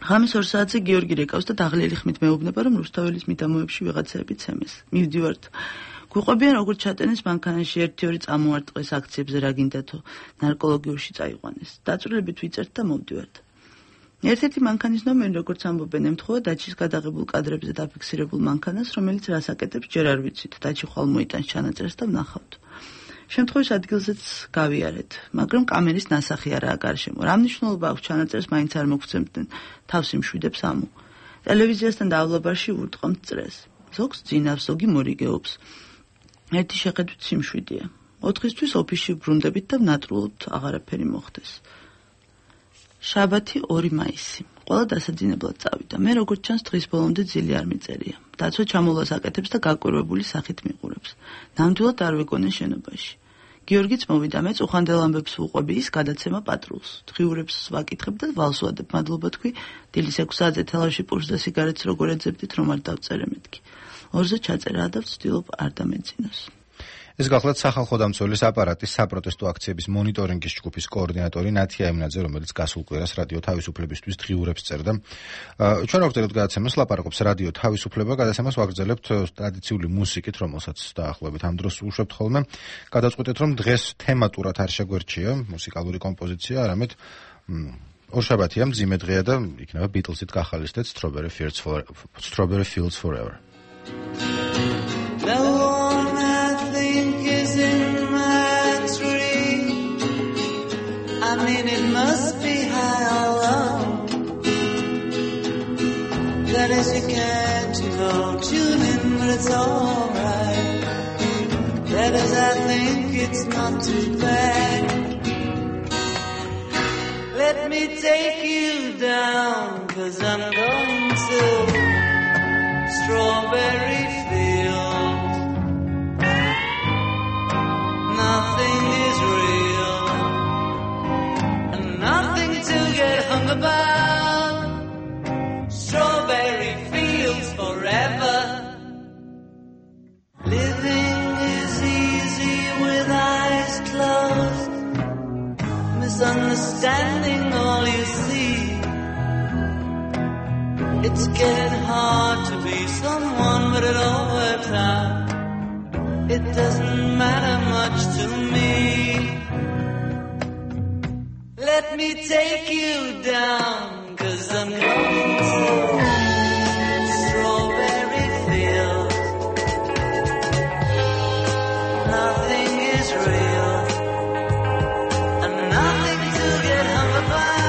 ღამის 2 საათზე გიორგი რეკავს და დაღლილი ხმით მეუბნება, რომ რუსთაველის მიდამოებში ვიღაცები ცემეს. მივდივართ. გვიყვებიან როგორც ჩატენეს მანქანაში 1-2 წამოარტყეს აქციებზე რა გინდათო, ნარკოლოგიურში წაიყვანეს. დაწვრილებით ვიწერთ და მოვდივართ. ერთ-ერთი მანქანის ნომერი, როგორც ამბობენ, ემთხვევა დაჩის გადაღებულ კადრებზე დაფიქსირებულ მანქანას, რომელიც რას აკეთებს, ჯერ არ ვიცით. დაჩი ხვალ მოიტანს ჩანაწერს და ვნახავთ. შემთხვევის ადგილზეც გავიარეთ, მაგრამ კამერის ნასახი არაა გარშემო. რა მნიშვნელობა აქვს ჩანაწერს მაინც არ მოგცემდნენ, თავს იმშვიდებს ამო. ტელევიზიასთან დავლაბარში ვურტყამთ წრეს. ზოგს ძინავს, ზოგი მორიგეობს. ერთი შეხედვით სიმშვიდეა. 4-ისთვის ოფისში ვბრუნდებით და ვნატრულობთ აღარაფერი მოხდეს. შაბათი 2 მაისი. ყველა დასაძინებლად წავიდა. მე როგორც ჩანს დღის ბოლომდე ძილი არ მიწერია. დაცვა ჩამოვლას აკეთებს და გაკვირვებული სახით მიყურებს. ნამდვილად არ ვეგონე შენობაში. გიორგიც მოვიდა, მეც უხანდელ ამბებს ვუყვები, ის გადაცემა პატრულს. დღიურებს ვაკითხებ და ვალს ვადებ. მადლობა თქვი, დილის 6 საათზე თელავში პურს და სიგარეტს როგორ ეძებდით, რომ არ დავწერე მეთქი. 2-ზე ჩაწერაა და ვცდილობ არ დამეძინოს. ეს გახლავთ სახალხო დამცველის აპარატის საპროტესტო აქციების მონიტორინგის ჯგუფის კოორდინატორი ნათია ემნაძე, რომელიც გასულ კვირას რადიო თავისუფლებისთვის დღიურებს წერდა. ჩვენ ვაგრძელებთ გადაცემას, ლაპარაკობს რადიო თავისუფლება, გადაცემას ვაგრძელებთ ტრადიციული მუსიკით, რომელსაც დაახლოებით ამ დროს უშვებთ ხოლმე. გადაწყვეტეთ, რომ დღეს თემატურად არ შეგვერჩია მუსიკალური კომპოზიცია, არამედ ორშაბათია, მძიმე დღეა და იქნება ბიტლსით გახალისდეთ Strawberry Fields Forever. I mean, it must be high or low. That is, you can't, tune in, but it's alright. That is, I think it's not too bad. Let me take you down, 'cause I'm going to Strawberry Field. Nothing is real. Nothing to get hung about. Strawberry fields forever. Living is easy with eyes closed. Misunderstanding all you see. It's getting hard to be someone, but it all works out. It doesn't matter much to me. Let me take you down, 'cause I'm going to Strawberry Fields. Nothing is real, and nothing to get hung about.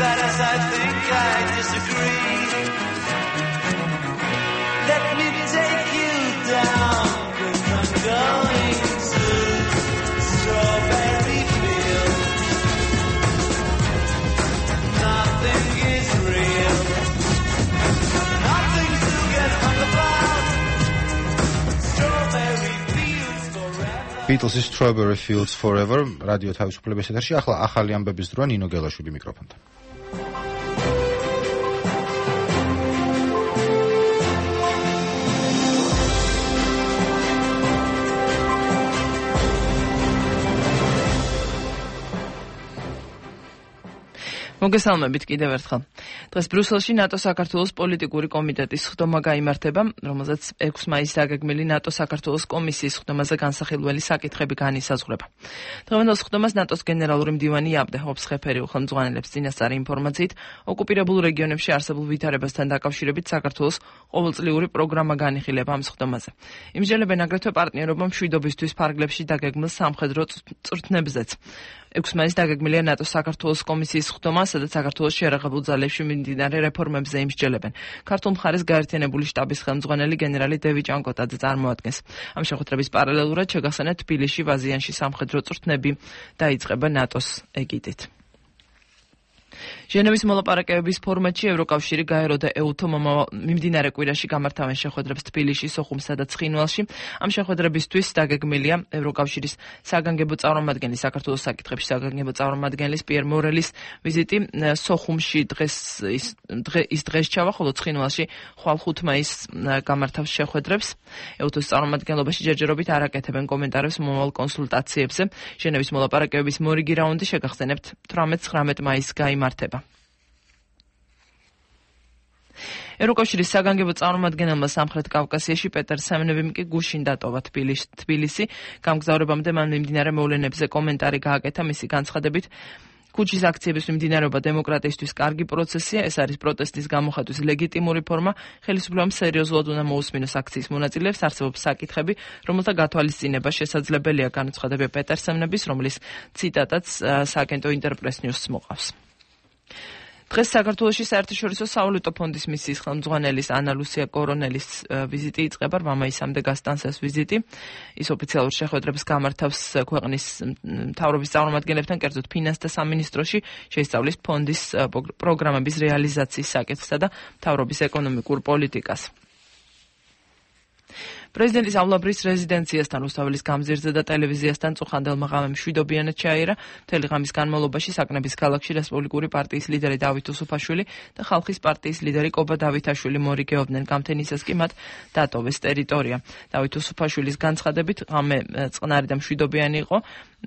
bad as I think I disagree. Let me take you down, 'cause I'm going to Strawberry Field. Nothing is real, nothing to get hung about. Strawberry Fields forever. Beatles' Strawberry Fields Forever, რადიო თავისუფლების ეთერში. ახლა ახალი ამბების დროა, ნინო გელაშვილი მიკროფონთან. მოგესალმებით კიდევ ერთხელ. დღეს ბრიუსელში ნატო-საქართველოს პოლიტიკური კომიტეტის ხდომა გაიმართება, რომელზეც 6 მაისს დაგეგმილი ნატო-საქართველოს კომისიის ხდომაზე განსახილველი საკითხები განისაზღვრება. დღევანდელ ხდომას ნატოს გენერალური მდივანი აბდეჰობს ხეფერი ხელმძღვანელებს წინასწარი ინფორმაციით, ოკუპირებულ რეგიონებში არსებულ ვითარებასთან დაკავშირებით საქართველოს ყოველწლიური პროგრამა განიხილება ამ ხდომაზე. იმსჯელებენ აგრეთვე პარტნიორობა მშვიდობისთვის ფარგლებში დაგეგმილ სამხედრო წვრთნებზეც. 6 მაისს დაგეგმილია ნატო-საქართველოს კომისიის ხდომა, სადაც საქართველოს შეერაღებულ ძალებში მიმდინარე რეფორმებზე იმსჯელებენ. ქართულ მხარეს გაერთიანებული შტაბის ხელმძღვანელი გენერალი დევი ჭანკოტაძე წარმოადგენს. ამ შეხვედრების პარალელურად შეგახსენებთ, თბილისში ვაზიანში სამხედრო წვრთნები დაიწყება ნატოს ეგიდით. ჟენევის მოლაპარაკებების ფორმატში ევროკავშირი გაერო და ეუთო მიმდინარე კვირაში გამართავენ შეხვედრებს თბილისში, სოხუმსა და ცხინვალში. ამ შეხვედრებისთვის დაგეგმილია ევროკავშირის საგანგებო წარმომადგენლის საქართველოს საკითხებში საგანგებო წარმომადგენლის პიერ მორელის ვიზიტი სოხუმში დღეს ჩავა, ხოლო ცხინვალში ხვალ 5 მაისს გამართავს შეხვედრებს. ეუთოს წარმომადგენლობაში ჯერჯერობით არ აკეთებენ კომენტარებს მომავალ კონსულტაციებზე. ჟენევის მოლაპარაკებების მორიგი რაუნდი შეგახსენებთ 18-19 მაისს გაიმართება. ევროკავშირის საგანგებო წარმომადგენელმა სამხრეთ კავკასიაში პეტერ სემნევიმ კი გუშინ დატოვა თბილისი. გამგზავრებამდე მან მიმდინარე მოვლენებზე კომენტარი გააკეთა. მისი განცხადებით, ქუჩის აქციების მიმდინარეობა დემოკრატიისთვის კარგი პროცესია, ეს არის პროტესტის გამოხატვის ლეგიტიმური ფორმა. ხელისუფლებამ სერიოზულად უნდა მოусმინოს აქციის მონაწილეებს, არსებობს საკითხები, რომელთა გათვალისწინება შესაძლებელია, განაცხადება პეტერ სემნევის, რომლის ციტატაც სააგენტო ინტერპრეს ნიუსს მოყავს. დღეს საქართველოში საერთაშორისო სავალუტო ფონდის მისიის ხელმძღვანელის ანა ლუსია კორონელის ვიზიტი იწყება, მამაისამდე გასტანს ეს ვიზიტი. ის ოფიციალურ შეხვედრებს გამართავს ქვეყნის მთავრობის წარმომადგენლებთან, კერძოდ ფინანსთა სამინისტროში, შეისწავლის ფონდის პროგრამების რეალიზაციის საკითხსა და მთავრობის ეკონომიკურ პოლიტიკას. პრეზიდენტის ავლაბრის რეზიდენციასთან, რუსთაველის გამზირზე და ტელევიზიასთან წუხანდელმა ღამემ მშვიდობიანად ჩაიერა. მთელი ღამის განმავლობაში საკნების ქალაქში რესპუბლიკური პარტიის ლიდერი დავით უსუფაშვილი და ხალხის პარტიის ლიდერი კობა დავითაშვილი მორიგეობდნენ. გამთენისას კი მათ დატოვეს ტერიტორია. დავით უსუფაშვილის განცხადებით, ღამე წყნარი და მშვიდობიანი იყო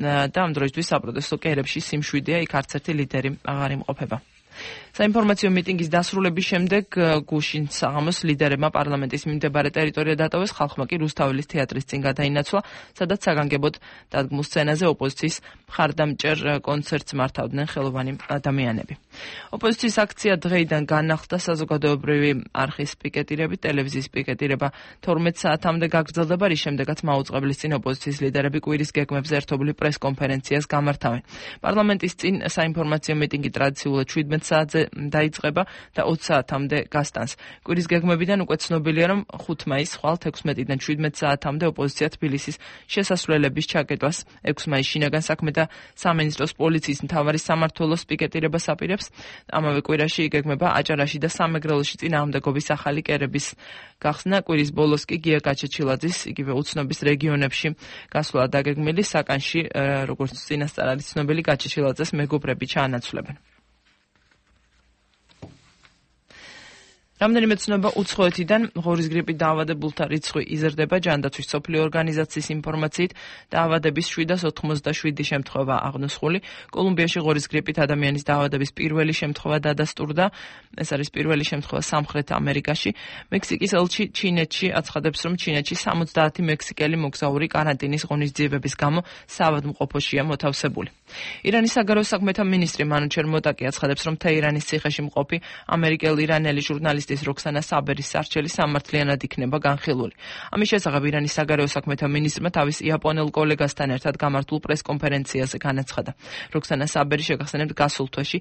და ამ დროისთვის საპროტესტო კერებში სიმშვიდეა, იქ არც ერთი ლიდერი აღარ იმყოფება. საინფორმაციო მიტინგის დასრულების შემდეგ გუშინ საღამოს ლიდერებმა პარლამენტის მიმდებარე ტერიტორია დატოვეს, ხალხმა კი რუსთაველის თეატრის წინ გადაინაცვლა, სადაც საგანგებოდ დადგმულ სცენაზე ოპოზიციის მხარდამჭერ კონცერტს მართავდნენ ხელოვანი ადამიანები. ოპოზიციის აქცია დღეიდან განახლდა, საზოგადოებრივი არხის პიკეტირები, ტელევიზიის პიკეტირება 12 საათამდე გაგრძელდება, რის შემდეგაც მაუწყებლის წინ ოპოზიციის ლიდერები კვირის გეგმებზე ერთობლივ პრეს-კონფერენციას გამართავენ. პარლამენტის წინ საინფორმაციო მიტინგი ტრადიციულად 17 საათზე დაიწყება და 20 საათამდე გასტანს. კვირის გეგმებიდან უკვე ცნობილია, რომ 5 მაისს ხვალ 16-დან 17 საათამდე ოპოზიცია თბილისის შესასვლელების ჩაკეტვას, 6 მაისს შინაგან საქმეთა სამინისტროს პოლიციის მთავარი სამმართველოს პიკეტირებას აპირებს. ამავე კვირაში იგეგმება აჭარაში და სამეგრელოში წინააღმდეგობის ახალი კერების გახსნა. კვირის ბოლოს კი გია გაჩეჩილაძის იგივე უცნობის რეგიონებში გასვლა დაგეგმილი. საკანში, როგორც წინასწარ არის ცნობილი, გაჩეჩილაძეს მეგობრები ჩაანაცვლებენ. რამდენიმე ცნობა უცხოეთიდან ღორის გრიპით დაავადებულთა რიცხვი იზრდება. ჯანდაცვის მსოფლიო ორგანიზაციის ინფორმაციით დაავადების 787 შემთხვევა აღნუსხული. კოლუმბიაში ღორის გრიპით ადამიანის დაავადების პირველი შემთხვევა დადასტურდა. ეს არის პირველი შემთხვევა სამხრეთ ამერიკაში. მექსიკის ელჩი ჩინეთში აცხადებს, რომ ჩინეთში 70 მექსიკელი მოგზაური კარანტინის ღონისძიებების გამო საავადმყოფოშია მოთავსებული. ირანის საგარეო საქმეთა მინისტრი მანუჩერ მოტაკი აცხადებს, რომ თეირანის ციხეში მყოფი ამერიკელ-ირანელი ჟურნალისტის როქსანა საბერის სარჩელი სამართლიანად იქნება განხილული. ამის შესახებ ირანის საგარეო საქმეთა მინისტრმა თავის იაპონელ კოლეგასთან ერთად გამართულ პრესკონფერენციაზე განაცხადა. როქსანა საბერი შეგახსენებთ გასულ თვეში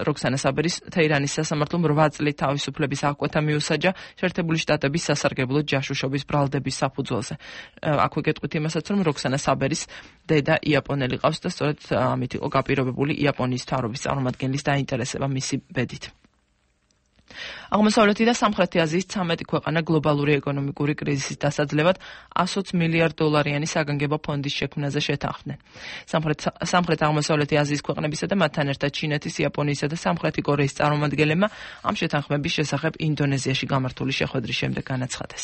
როქსანა საბერის თეირანის სასამართლომ 8 წლით თავისუფლების აღკვეთა მიუსაჯა შეერთებული შტატების სასარგებლო ჯაშუშობის ბრალდების საფუძველზე. აქვე გეტყვით იმასაც, რომ როქსანა საბერის დედა იაპონელი ყავს და სწორედ ამით იყო გაპირობებული იაპონიის მთავრობის წარმომადგენლის დაინტერესება მისი ბედით. აღმოსავლეთი და სამხრეთი აზიის 13 ქვეყანა გლობალური ეკონომიკური კრიზისის დასაძლევად 120 მილიარდ დოლარიანი საგანგებო ფონდის შექმნაზე შეთანხმდნენ. სამხრეთ-აღმოსავლეთი აზიის ქვეყნებისა და მათთან ერთად ჩინეთის, იაპონიისა და სამხრეთი კორეის წარმომადგენლებმა ამ შეთანხმების შესახებ ინდონეზიაში გამართული შეხვედრის შემდეგ განაცხადეს.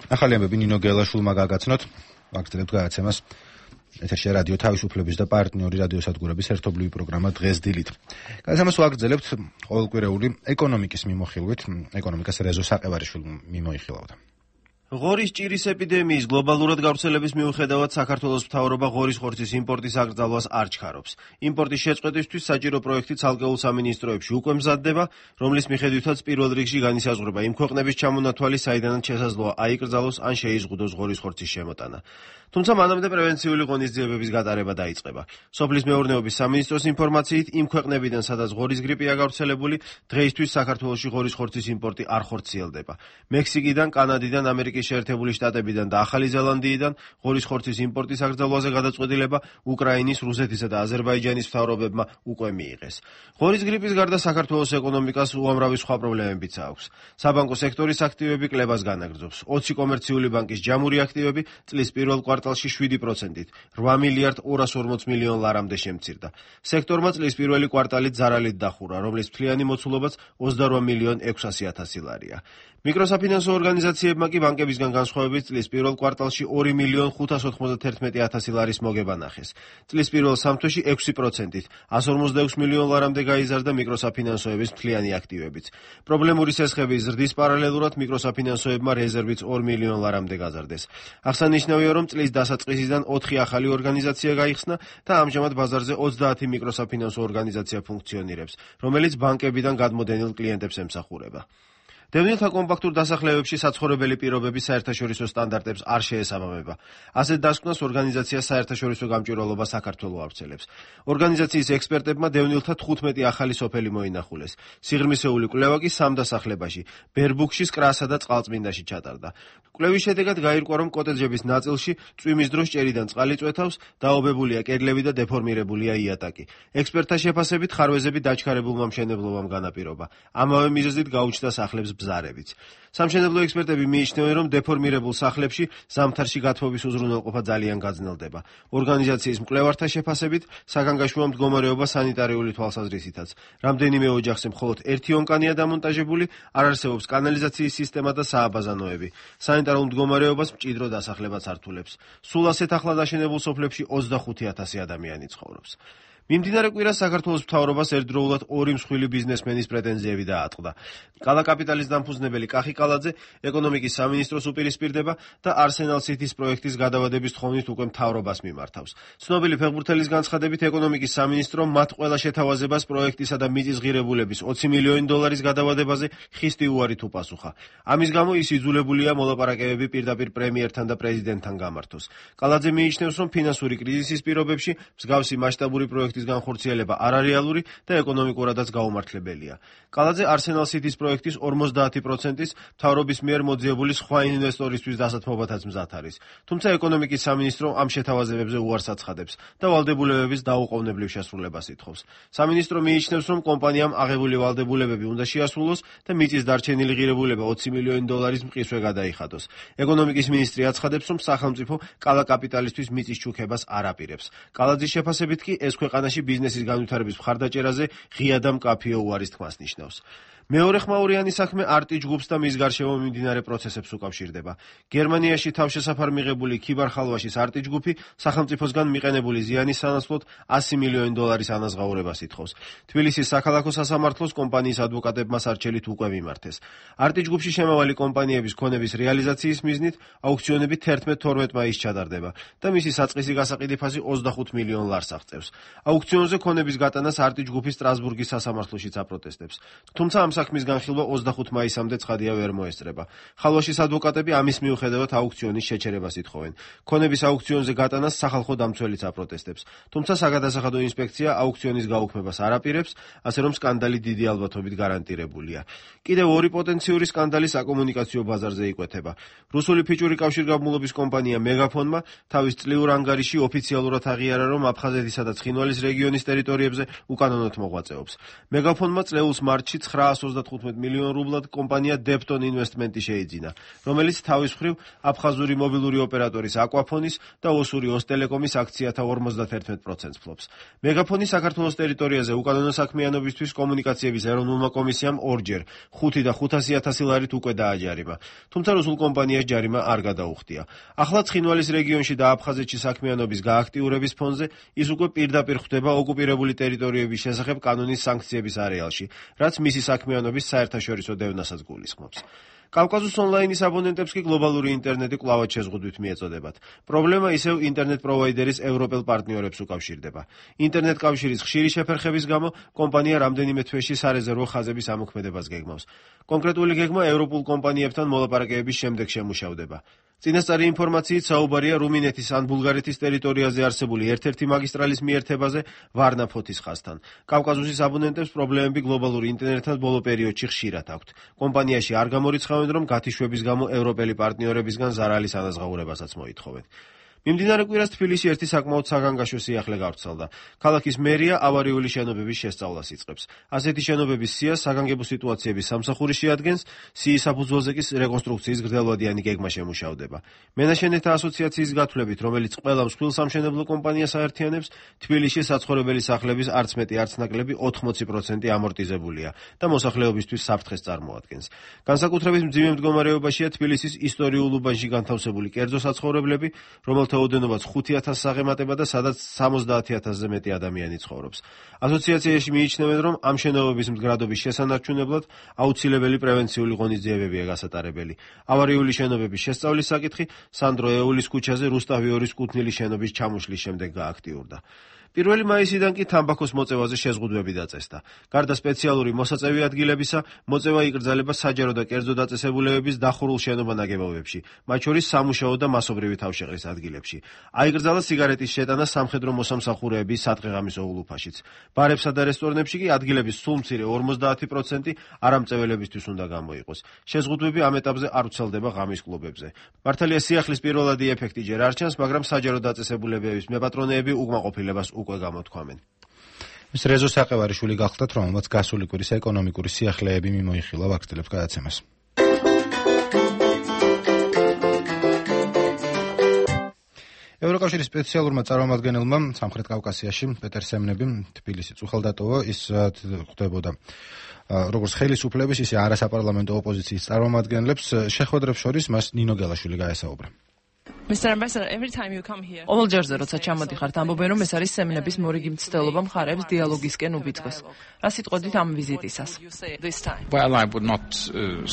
ახალი ამბები ნინო გელაშვილმა გაგაცნოთ, ვაგრძელებთ გადაცემას. ეთერში რადიო თავისუფლების და პარტნიორი რადიოსადგურების ერთობლივი პროგრამა დღეს დილით. გადაცემას ვაგრძელებთ ყოველკვირეული ეკონომიკის მიმოხილვით, ეკონომიკას რეზო საყევარიშვილმა მიმოიხილავდა. ღორის ჭირის ეპიდემიის გლობალურად გავრცელების მიუხედავად საქართველოს მთავრობა ღორის ხორცის იმპორტის აკრძალვას არ ჩქარობს. იმპორტის შეწყვეტისთვის საჭირო პროექტი ცალკეულ სამინისტროებში უკვე მზადდება, რომლის მიხედვითაც პირველ რიგში განისაზღვრება იმ ქვეყნების ჩამონათვალი, საიდანაც შესაძლოა აიკრძალოს ან შეიზღუდოს ღორის ხორცის შემოტანა. თუმცა მანამდე პრევენციული ღონისძიებების გატარება დაიწყება. სოფლის მეურნეობის სამინისტროს ინფორმაციით, იმ ქვეყნებიდან, სადაც ღორის გრიპია გავრცელებული, დღეისთვის საქართველოში ღორის ხორცის იმპორტი არ ხორციელდება. მექსიკიდან, კანადიდან, ამერიკის შეერთებული შტატებიდან და ახალი ზელანდიიდან ღორის ხორცის იმპორტის აკრძალვაზე გადაწყვეტილება უკრაინის, რუსეთისა და აზერბაიჯანის მთავრობებმა უკვე მიიღეს. ღორის გრიპის გარდა საქართველოს ეკონომიკას უამრავი სხვა პრობლემებიც აქვს. საბანკო სექტორის აქტივები კლებას განაგრძობს. 20 კომერციული ბანკის ჯამური აქტივები წლის პირველ კვარტალში 7%-ით 8 მილიარდ 240 მილიონ ლარამდე შემცირდა. სექტორმა წლის პირველი კვარტალით ზარალით დახურა, რომლის მთლიანი მოცულობაც 28 მილიონ 600,000 ლარია. მიკროსაფინანსო ორგანიზაციებმა კი ბანკებისგან განსხვავებით წლის პირველ კვარტალში 2 მილიონ 591,000 ლარის მოგება ნახეს. წლის პირველ სამთვეში 6%-ით 156 მილიონ ლარამდე გაიზარდა მიკროსაფინანსოების მთლიანი აქტივებიც. პრობლემური სესხების ზრდის პარალელურად მიკროსაფინანსოებმა რეზერვიც 2 მილიონ ლარამდე გაზარდეს. აღსანიშნავია, რომ წლის დასაწყისიდან 4 ახალი ორგანიზაცია გაიხსნა და ამჟამად ბაზარზე 30 მიკროსაფინანსო ორგანიზაცია ფუნქციონირებს, რომელიც ბანკებიდან გადმოდენილ კლიენტებს ემსახურება. დევნილთა კომპაქტურ დასახლებებში საცხოვრებელი პირობების საერთაშორისო სტანდარტებს არ შეესაბამება. ასეთ დასკვნას ორგანიზაცია საერთაშორისო გამჭვირვალობა საქართველოს ავრცელებს. ორგანიზაციის ექსპერტებმა დევნილთა 15 ახალი სოფელი მოინახულეს. სიღრმისეული კვლევა კი 3 დასახლებაში, ბერბუქში, კრასა და წყალწმინდაში ჩატარდა. კვლევის შედეგად გაირკვა, რომ კოტეჯების ნაწილში წვიმის დროს ჭერიდან წყალი წვეთავს, დაობებულია კედლები და დეფორმირებულია იატაკი. ექსპერტთა შეფასებით ხარვეზები დაჩქარებულმა მშენებლობამ განაპირობა. ამავე მიზეზით გაუჩნდა სახლებს ბზარებიც. სამშენებლო ექსპერტები მიიჩნევენ, რომ დეფორმირებულ სახლებში ზამთარში გათბობის უზრუნველყოფა ძალიან გაძნელდება. ორგანიზაციის მკვლევართა შეფასებით, საგანგაშუო მდგომარეობა სანიტარიული თვალსაზრისითაც. რამდენიმე ოჯახზე მხოლოდ ერთი ონკანია დამონტაჟებული, არ არსებობს კანალიზაციის სისტემა და სააბაზანოები. სანიტარულ მდგომარეობას მჭიდრო დასახლებაც ართულებს. სულ ასეთ ახლად აშენებულ სოფლებში 25,000 ადამიანი ცხოვრობს. მიმდინარე კვირას საქართველოს მთავრობას ერთდროულად 2 მსხვილი ბიზნესმენის პრეტენზიები დაატყდა. კალაკაპიტალის დამფუძნებელი კახი კალაძე ეკონომიკის სამინისტროს უპირისპირდება და არსენალ სიტის პროექტის გადავადების თხოვნით უკვე მთავრობას მიმართავს. ცნობილი ფეხბურთელის განცხადებით, ეკონომიკის სამინისტრო მათ ყველა შეთავაზებას პროექტისა და მიწის ღირებულების 20 მილიონი დოლარის გადავადებაზე ხისტი უარით უპასუხა. ამის გამო ის იძულებულია მოლაპარაკებები პირდაპირ პრემიერთან და პრეზიდენტთან გამართოს. კალაძე მიიჩნევს, რომ ფინანსური კრიზისის პირობებში მსგავსი მასშტაბური პროექტის განხორციელება არარეალური და ეკონომიკურადაც გაუმართლებელია. კალაძე არსენალ სიტის პროექტის 50%-ის მთავრობის მიერ მოძიებული სხვა ინვესტორისთვის დასათმობათაც მზად არის. თუმცა ეკონომიკის სამინისტრო ამ შეთავაზებებზე უარს აცხადებს და ვალდებულებების დაუყოვნებლივ შესრულებას ითხოვს. სამინისტრო მიიჩნევს, რომ კომპანიამ აღებული ვალდებულებები უნდა შეასრულოს და მიწის დარჩენილი ღირებულება 20 მილიონი დოლარის მყისვე გადაიხადოს. ეკონომიკის მინისტრი აცხადებს, რომ სახელმწიფო კალაკაპიტალისთვის მიწის ჩუქებას არ აპირებს. კალაძის შეფასებით კი ეს ქვეყანა ქვეყანაში ბიზნესის განვითარების მხარდაჭერაზე ღია და მკაფიო უარის თქმას ნიშნავს. მეორე ხმაურიანი საქმე არტი ჯგუფს და მის გარშემო მიმდინარე პროცესებს უკავშირდება. გერმანიაში თავშესაფარ მიღებული ქიბარ-ხალვაშის არტი ჯგუფი სახელმწიფოსგან მიყენებული ზიანის სანაცვლოდ $100 მილიონი ანაზღაურებას ითხოვს. თბილისის საქალაქო სასამართლოს კომპანიის ადვოკატებმა სარჩელით უკვე მიმართეს. არტი ჯგუფში შემავალი კომპანიების ქონების რეალიზაციის მიზნით აუქციონები 11-12 მაისს ჩატარდება და მისი საწყისი გასაყიდი ფასი $25 მილიონ აღწევს. აუქციონზე ქონების გატანას არტი ჯგუფი სტრასბურგის სასამართლოშიც აპროტესტებს. თუმცა ამ საქმის განხილვა 25 მაისამდე ცხადია ვერ მოესწრება. ხალვაშის ადვოკატები ამის მიუხედავად აუქციონის შეჩერებას ითხოვენ. ქონების აუქციონზე გატანას სახალხო დამცველიც აპროტესტებს. თუმცა საგადასახადო ინსპექცია აუქციონის გაუქმებას არ აპირებს, ასე რომ სკანდალი დიდი ალბათობით გარანტირებულია. კიდევ ორი პოტენციური სკანდალი საკომუნიკაციო ბაზარზე იკვეთება. რუსული ფიჭური კავშირგაბმულობის კომპანია მეგაფონმა თავის წლიურ ანგარიში ოფიციალურად აღიარა, რომ აფხაზეთისა და ცხინვალის რეგიონის ტერიტორიებზე უკანონოდ მოღვაწეობს. მეგაფონმა წლეულს მარტში 935 მილიონ რუბლად კომპანია Depton Investment-ი შეიძინა, რომელიც თავის მხრივ აფხაზური მობილური ოპერატორის აკვაფონის და ოსური ოსტელეკომის აქციათა 51% ფლობს. მეგაფონი საქართველოს ტერიტორიაზე უკანონო საქმიანობისთვის კომუნიკაციების ეროვნულმა კომისიამ ორჯერ 5 და 500,000 ლარით უკვე დააჯარიმა, თუმცა რუსულ კომპანიას ჯარიმა არ გადაუხდია. ახლა ცხინვალის რეგიონში და აფხაზეთში საქმიანობის გააქტიურების ფონზე ის უკვე პირდაპირ ხვდება ოკუპირებული ტერიტორიების შესახებ კანონის სანქციების არეალში, რაც მისი საქმიანობის საერთაშორისო დევნასაც გულისხმობს. კავკასუს ონლაინის აბონენტებს კი გლობალური ინტერნეტი კვლავად შეზღუდვით მიეწოდებათ. პრობლემა ისევ ინტერნეტ პროვაიდერის ევროპელ პარტნიორებს უკავშირდება. ინტერნეტ კავშირის ხშირი შეფერხების გამო კომპანია რამდენიმე თვეში სარეზერვო ხაზების ამოქმედებას გეგმავს. კონკრეტული გეგმა ევროპულ კომპანიებთან მოლაპარაკებების შემდეგ შემუშავდება. წინასწარი ინფორმაციით საუბარია რუმინეთის ან ბულგარეთის ტერიტორიაზე არსებული ერთ-ერთი მაგისტრალის მიერთებაზე ვარნა-ფოთის ხაზთან. კავკასუსის აბონენტებს პრობლემები გლობალურ ინტერნეტთან ბოლო პერიოდში ხშირად აქვთ. კომპანიაში არ გამორიცხავენ, რომ გათიშვების გამო ევროპელი პარტნიორებისგან ზარალის ანაზღაურებასაც მოითხოვენ. მიმდინარე კვირას თბილისში ერთი საკმაოდ საგანგაშო სიახლე გავრცელდა. ქალაქის მერია ავარიული შენობების შესწავლას იწყებს. ასეთი შენობების სიას საგანგებო სიტუაციების სამსახური შეადგენს, სიის საფუძველზე კი რეკონსტრუქციის გრძელვადიანი გეგმა შემუშავდება. მენაშენეთა ასოციაციის გათვლებით, რომელიც ყველა მსხვილ სამშენებლო კომპანიას აერთიანებს, თბილისში საცხოვრებელი სახლების არც მეტი არც ნაკლები 80% ამორტიზებულია და მოსახლეობისთვის საფრთხეს წარმოადგენს. განსაკუთრებით მძიმე მდგომარეობაშია თბილისის ისტორიულ უბანში განთავსებული კერძო საცხოვრებლები, რომელთა ოდენობაც 5,000 საღემატება და სადაც 70,000-ზე მეტი ადამიანი ცხოვრობს. ასოციაციაში მიიჩნევენ, რომ ამ შენობების მდგრადობის შესანარჩუნებლად აუცილებელი პრევენციული ღონისძიებებია გასატარებელი. ავარიული შენობების შესწავლის საკითხი სანდრო ეულის ქუჩაზე რუსტავი 2-ის კუთვნილი შენობის ჩამოშლის შემდეგ გააქტიურდა. 1 მაისიდან კი თამბაქოს მოწევაზე შეზღუდვები დაწესდა. გარდა სპეციალური მოსაწევი ადგილებისა, მოწევა იკრძალება საჯარო და კერძო დაწესებულებების დახურულ შენობა-ნაგებობებში, მათ შორის სამუშაო და მასობრივი თავშეყრის ადგილებში. აიკრძალა სიგარეტის შეტანა სამხედრო მოსამსახურეების სადღეღამისო ულუფაშიც. ბარებსა და რესტორნებში კი ადგილების სულ მცირე 50% არამწეველებისთვის უნდა გამოიყოს. შეზღუდვები ამ ეტაპზე არ ვრცელდება ღამის კლუბებზე. მართალია სიახლის პირველადი ეფექტი ჯერ არ ჩანს, მაგრამ საჯარო დაწესებულებების მეპატრონეები უკმაყოფილებას უკვე გამოთქვამენ. მის რეზო საყევარიშვილი გახლდათ, რომელმაც გასული კვირის ეკონომიკური სიახლეები მიმოიხილა, ვაგრძელებს გადაცემას. ევროკავშირის სპეციალურმა წარმომადგენელმა სამხრეთ კავკასიაში პეტერ სემნები თბილისის უხელდატოვა ის ხვდებოდა როგორც ხელისუფლების, ისე არასაპარლამენტო ოპოზიციის წარმომადგენლებს შეხვედრებს შორის მას ნინო გელაშვილი გაესაუბრა. Mr. Ambassador, every time you come here, ყოველ ჯერზე როცა ჩამოდიხართ, ამბობენ, რომ ეს არის სემნების მორიგი მცდელობა მხარეებს დიალოგისკენ უბიძგოს. რა სიტყვით ამ ვიზიტისას? Well, I would not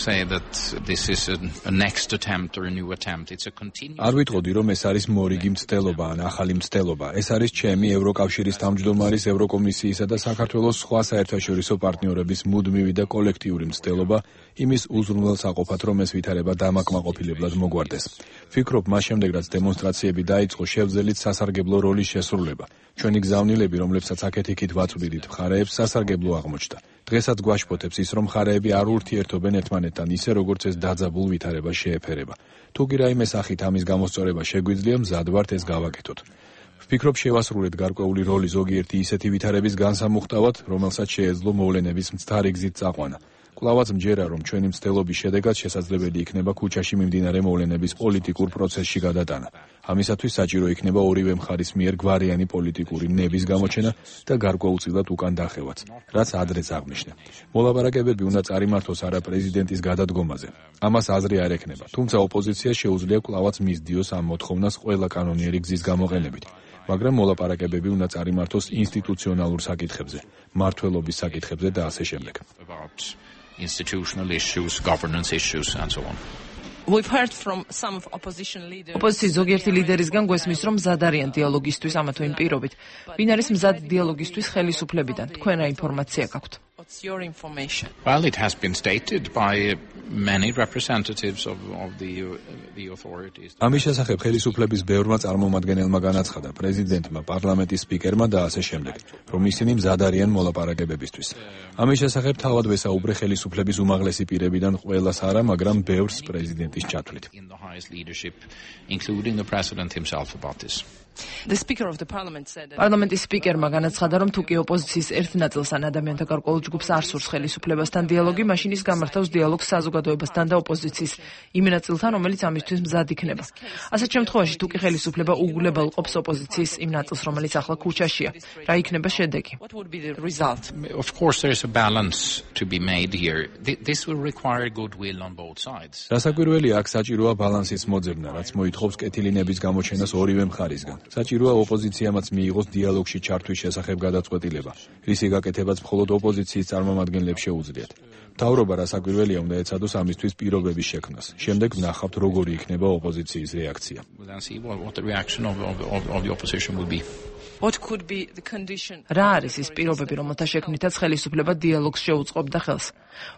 say that this is a next attempt or a new attempt. It's a continuous. არ ვიტყოდი, რომ ეს არის მორიგი მცდელობა ან ახალი მცდელობა. ეს არის ჩემი ევროკავშირის თავმჯდომარის, ევროკომისიისა და საქართველოს სხვა საერთაშორისო პარტნიორების მუდმივი და კოლექტიური მცდელობა იმის უზრუნველსაყოფად, რომ ეს ვითარება დამაკმაყოფილებლად მოგვარდეს. ვფიქრობ, მას შემდეგ რაც დემონსტრაციები დაიწყო, შევძელით სასარგებლო როლის შესრულება. ჩვენი გზავნილები, რომლებსაც აქეთ-იქით ვაწვდით მხარეებს, სასარგებლო აღმოჩნდა. დღესაც გვაშფოთებს ის, რომ მხარეები არ ურთიერთობენ ერთმანეთთან ისე, როგორც ეს დაძაბულ ვითარებას შეეფერება. თუ კი რაიმე სახით ამის გამოსწორება შეგვიძლია, მზად ვართ ეს გავაკეთოთ. ვფიქრობ, შევასრულეთ გარკვეული როლი ზოგიერთი ისეთი ვითარების განსამუხტავად, რომელსაც შეეძლო მოვლენების მცდარი გზით წაყვანა. კლავაც მჯერა, რომ ჩვენი მცდელობის შედეგად შესაძლებელი იქნება ქუჩაში მიმდინარე მოვლენების პოლიტიკურ პროცესში გადატანა. ამისათვის საჭირო იქნება ორივე მხარის მიერ გვარიანი პოლიტიკური ნების გამოჩენა და გარკვეულწილად უკან დახევაც, რაც ადრეც აღნიშნა. მოლაპარაკებები უნდა წარიმართოს არა პრეზიდენტის გადადგომაზე. ამას აზრი არ ექნება, თუმცა ოპოზიციას შეუძლია კვლავაც მისდიოს ამ მოთხოვნას ყველა კანონიერი გზის გამოყენებით. მაგრამ მოლაპარაკებები უნდა წარიმართოს ინსტიტუციონალურ საკითხებზე, მმართველობის საკითხებზე და ასე შემდეგ. Institutional issues, governance issues and so on. We've heard from some of opposition leaders. Opozicიის ზოგიერთი ლიდერისგან გვესმის, რომ მზად არიან დიალოგისთვის ამა თუ იმ პირობით. ვინ არის მზად დიალოგისთვის ხელისუფლებიდან? თქვენ რა ინფორმაცია გაქვთ? What's your information? Well, it has been stated by many representatives of the authorities. ამის შესახებ ხელისუფლების ბევრმა წარმომადგენელმა განაცხადა პრეზიდენტმა, პარლამენტის სპიკერმა და ასე შემდეგ, რომ ისინი მზად არიან მოლაპარაკებებისთვის. ამის შესახებ თავად ვესაუბრე ხელისუფლების უმაღლესი პირებიდან ყველას არა, მაგრამ ბევრს პრეზიდენტის ჩათვლით. In the highest leadership, including the president himself about this. The speaker of the parliament said პარლამენტის სპიკერმა განაცხადა, რომ თუ კი ოპოზიციის ერთ ნაწილს ან ადამიანთა გარკვეულ ჯგუფს არ სურს ხელისუფლებასთან დიალოგი, მაშინ ის გამართავს დიალოგს საზოგადოებასთან და ოპოზიციის იმ ნაწილთან, რომელიც ამისთვის მზად იქნება. ასეთ შემთხვევაში თუ კი ხელისუფლება უგულებელ ყოფს ოპოზიციის იმ ნაწილს, რომელიც ახლა ქუჩაშია, რა იქნება შედეგი? What would be the result? Of course there is a balance to be made here. This will require goodwill on both sides. დასაკვირველია, აქ საჭიროა ბალანსის მოძებნა, რაც მოითხოვს კეთილინების გამოჩენას ორივე მხარისგან. საჭიროა ოპოზიციამაც მიიღოს დიალოგში ჩართვის შესახებ გადაწყვეტილება, რისი გაკეთებაც მხოლოდ ოპოზიციის წარმომადგენლებს შეუძლიათ. მთავრობა რასაკვირველია უნდა ეცადოს ამისთვის პირობების შექმნას. შემდეგ ვნახავთ, როგორი იქნება ოპოზიციის რეაქცია. What the reaction of the opposition will be. What could be the condition? რა არის ის პირობები, რომელთა შექმნითაც ხელისუფლება დიალოგს შეუწყობდა ხელს?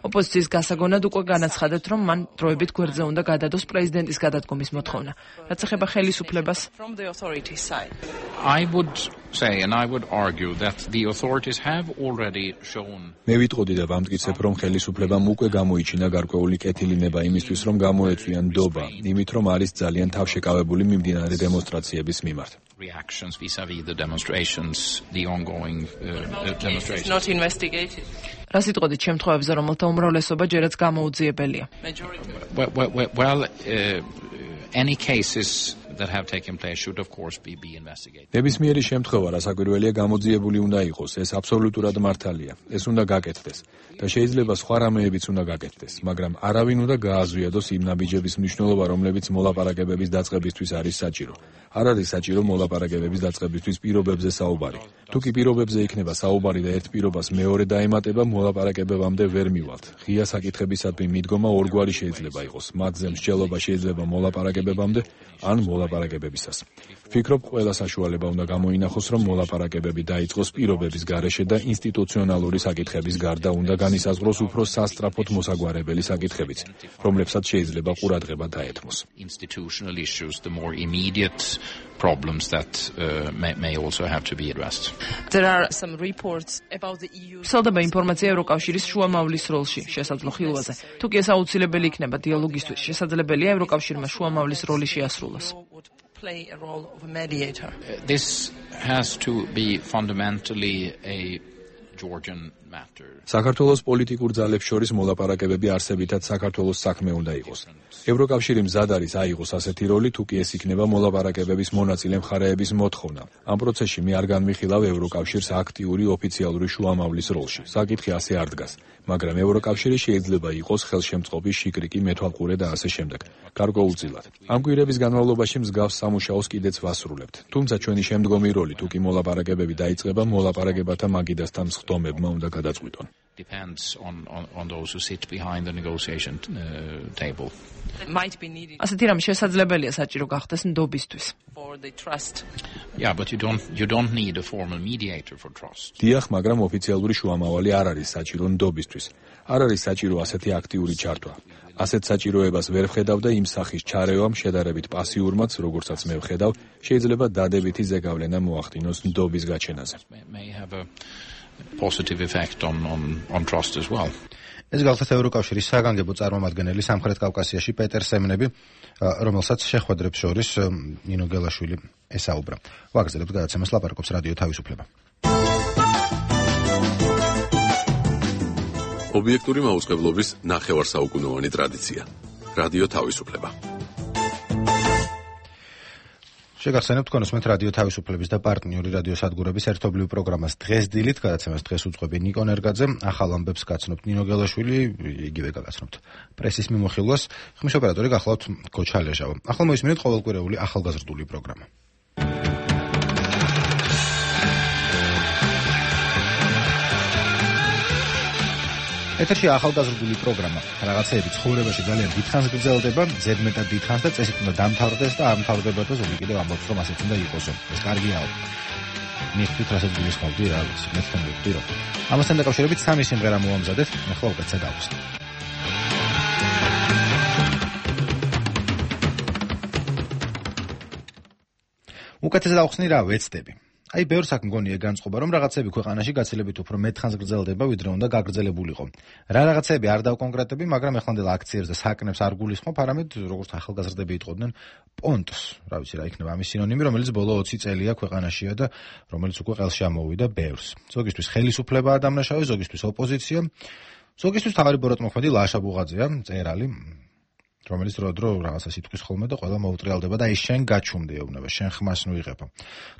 ოპოზიციის გასაგონად უკვე განაცხადეთ, რომ მან დროებით გვერდზე უნდა გადადოს პრეზიდენტის გადადგომის მოთხოვნა. რაც ეხება ხელისუფლებას, from the authorities side. I would say and I would argue that the authorities have already shown. მე ვიტყოდი და ვამტკიცებ, რომ ხელისუფლებამ უკვე გამოიჩინა გარკვეული კეთილინება იმისთვის, რომ გამოეწვიან ნდობა, იმით რომ არის ძალიან თავშეკავებული მიმდინარე დემონსტრაციების მიმართ. Reactions vis-a-vis the demonstrations, the ongoing demonstrations. Not investigated. რა სიტყვით შემთხვევებზე, რომელთა უმრავლესობა ჯერაც გამოუძიებელია? Well, any cases that have taken place should of course be investigated. ნებისმიერი შემთხვევა, რასაკვირველია, გამოძიებული უნდა იყოს, ეს აბსოლუტურად მართალია. ეს უნდა გაკეთდეს და შეიძლება სხვა რამეებიც უნდა გაკეთდეს, მაგრამ არავინ უნდა გააზვიადოს იმ ნაბიჯების მნიშვნელობა, რომლებიც მოლაპარაკებების დაწყებისთვის არის საჭირო. არ არის საჭირო მოლაპარაკებების დაწყებისთვის პირობებზე საუბარი. თუ კი პირობებზე იქნება საუბარი და ერთ პირობას მეორე დაემატება, მოლაპარაკებებამდე ვერ მივალთ. ღია საკითხებისადმი მიდგომა ორგვარი შეიძლება იყოს. მათზე მსჯელობა შეიძლება მოლაპარაკებებამდე ან მოლაპარაკებებისას. ვფიქრობ, ყველა საშუალება უნდა გამოინახოს, რომ მოლაპარაკებები დაიწყოს პირობების გარეშე და ინსტიტუციონალური საკითხების გარდა უნდა განისაზღვროს უფრო სასწრაფოდ მოსაგვარებელი საკითხებიც, რომლებსაც შეიძლება ყურადღება დაეთმოს. Institutional issues, the more immediate problems that may also have to be addressed. There are some reports about the EU. სალდება ინფორმაცია ევროკავშირის შუამავლის როლში შესაძლო ხილვაზე. თუ კი ეს აუცილებელი იქნება დიალოგისთვის, შესაძლებელია ევროკავშირმა შუამავლის როლი შეასრულოს. Play a role of a mediator. This has to be fundamentally a Georgian matter. საქართველოს პოლიტიკურ ძალებს შორის მოლაპარაკებები არსებითად საქართველოს საქმე უნდა იყოს. ევროკავშირი მზად არის აიღოს ასეთი როლი, თუ კი ეს იქნება მოლაპარაკებების მონაწილე მხარეების მოთხოვნა. ამ პროცესში მე არ განვიხილავ ევროკავშირს აქტიური ოფიციალური შუამავლის როლში. საკითხი ასე არ დგას, მაგრამ ევროკავშირი შეიძლება იყოს ხელშემწყობი, შიკრიკი, მეთვალყურე და ასე შემდეგ. გარკვეულწილად. ამ კვირების განმავლობაში მსგავს სამუშაოს კიდეც ვასრულებთ. თუმცა ჩვენი შემდგომი როლი, თუ კი მოლაპარაკებები დაიწყება, მოლაპარაკებათა მაგიდასთან მსხდომებმა უნდა გადაწყვიტონ. Depends on those who sit behind the negotiation table. ასეთი რამ შესაძლებელია საჭირო გახდეს ნდობისთვის. Yeah, but you don't need a formal mediator for trust. დიახ, მაგრამ ოფიციალური შუამავალი არ არის საჭირო ნდობისთვის. არ არის საჭირო ასეთი აქტიური ჩართვა. ასეთ საჭიროებას ვერ ვხედავ და იმ სახის ჩარევამ შედარებით პასიურმაც, როგორცაც მე ვხედავ, შეიძლება დადებითი ზეგავლენა მოახდინოს ნდობის გაჩენაზე. Positive effect on trust as well. ეს გახლავთ ევროკავშირის საგანგებო წარმომადგენელი სამხრეთ კავკასიაში პეტერ სემნები, რომელსაც შეხვედრებს შორის ნინო გელაშვილი ესაუბრა. ვაგრძელებთ გადაცემას, ლაპარაკობს რადიო თავისუფლება. ობიექტური მაუწყებლობის ნახევარსაუკუნოვანი ტრადიცია. რადიო თავისუფლება. შეგახსენებთ თქვენ უსმენთ რადიო თავისუფლების და პარტნიორი რადიოსადგურების ერთობლივ პროგრამას დღეს დილით, გადაცემას დღეს უძღვები ნიკო ნერგაძე, ახალ ამბებს გაცნობთ ნინო გელაშვილი, იგივე გაგაცნობთ პრესის მიმოხილვას, ხმის ოპერატორი გახლავთ გოჩა ლეჟავა. ახლა მოისმინეთ ყოველკვირეული ახალგაზრდული პროგრამა. ეთერში ახალგაზრდული პროგრამა. რაღაცეები ცხოვრებაში ძალიან დიდხანს გრძელდება, ზედმეტად დიდხანს და წესით უნდა დამთავრდეს და არ მთავრდება და ზოგი კიდევ ამბობს, რომ ასეც უნდა იყოსო. ეს კარგიაო. მიხდით რასაც გულისხმობდი რა, მეცთან ვიყდი რომ. ამასთან დაკავშირებით სამი სიმღერა მოვამზადეთ, ახლა უკეთესად დავუსწრებ. უკეთესად დავხსნი რა ვეცდები. აი, ბევრს აქ მგონია განწყობა, რომ რაღაცები ქვეყანაში გაცილებით უფრო მეტხანს გრძელდება, ვიდრე უნდა გაგრძელებულიყო. რა რაღაცები არ დავკონკრეტები, მაგრამ ეხლანდელ აქციებს და საკნებს არ გულისხმობ, არამედ როგორც ახალგაზრდები იტყოდნენ, პონტს. რა ვიცი, რა იქნება ამის სინონიმი, რომელიც ბოლო 20 წელია ქვეყანაშია და რომელიც უკვე ყელში ამოვიდა ბევრს. ზოგისთვის ხელისუფლებაა დამნაშავე, ზოგისთვის ოპოზიცია, ზოგისთვის თავარი ბოროტმოქმედი ლაშა ბუღაძეა, მწერალი, რომელიც დრო რაღაცა სიტყვის ხოლმე და ყველა მოუტრიალდება და ის შენ გაჩუმდი ეუბნება, შენ ხმას ნუ იღება.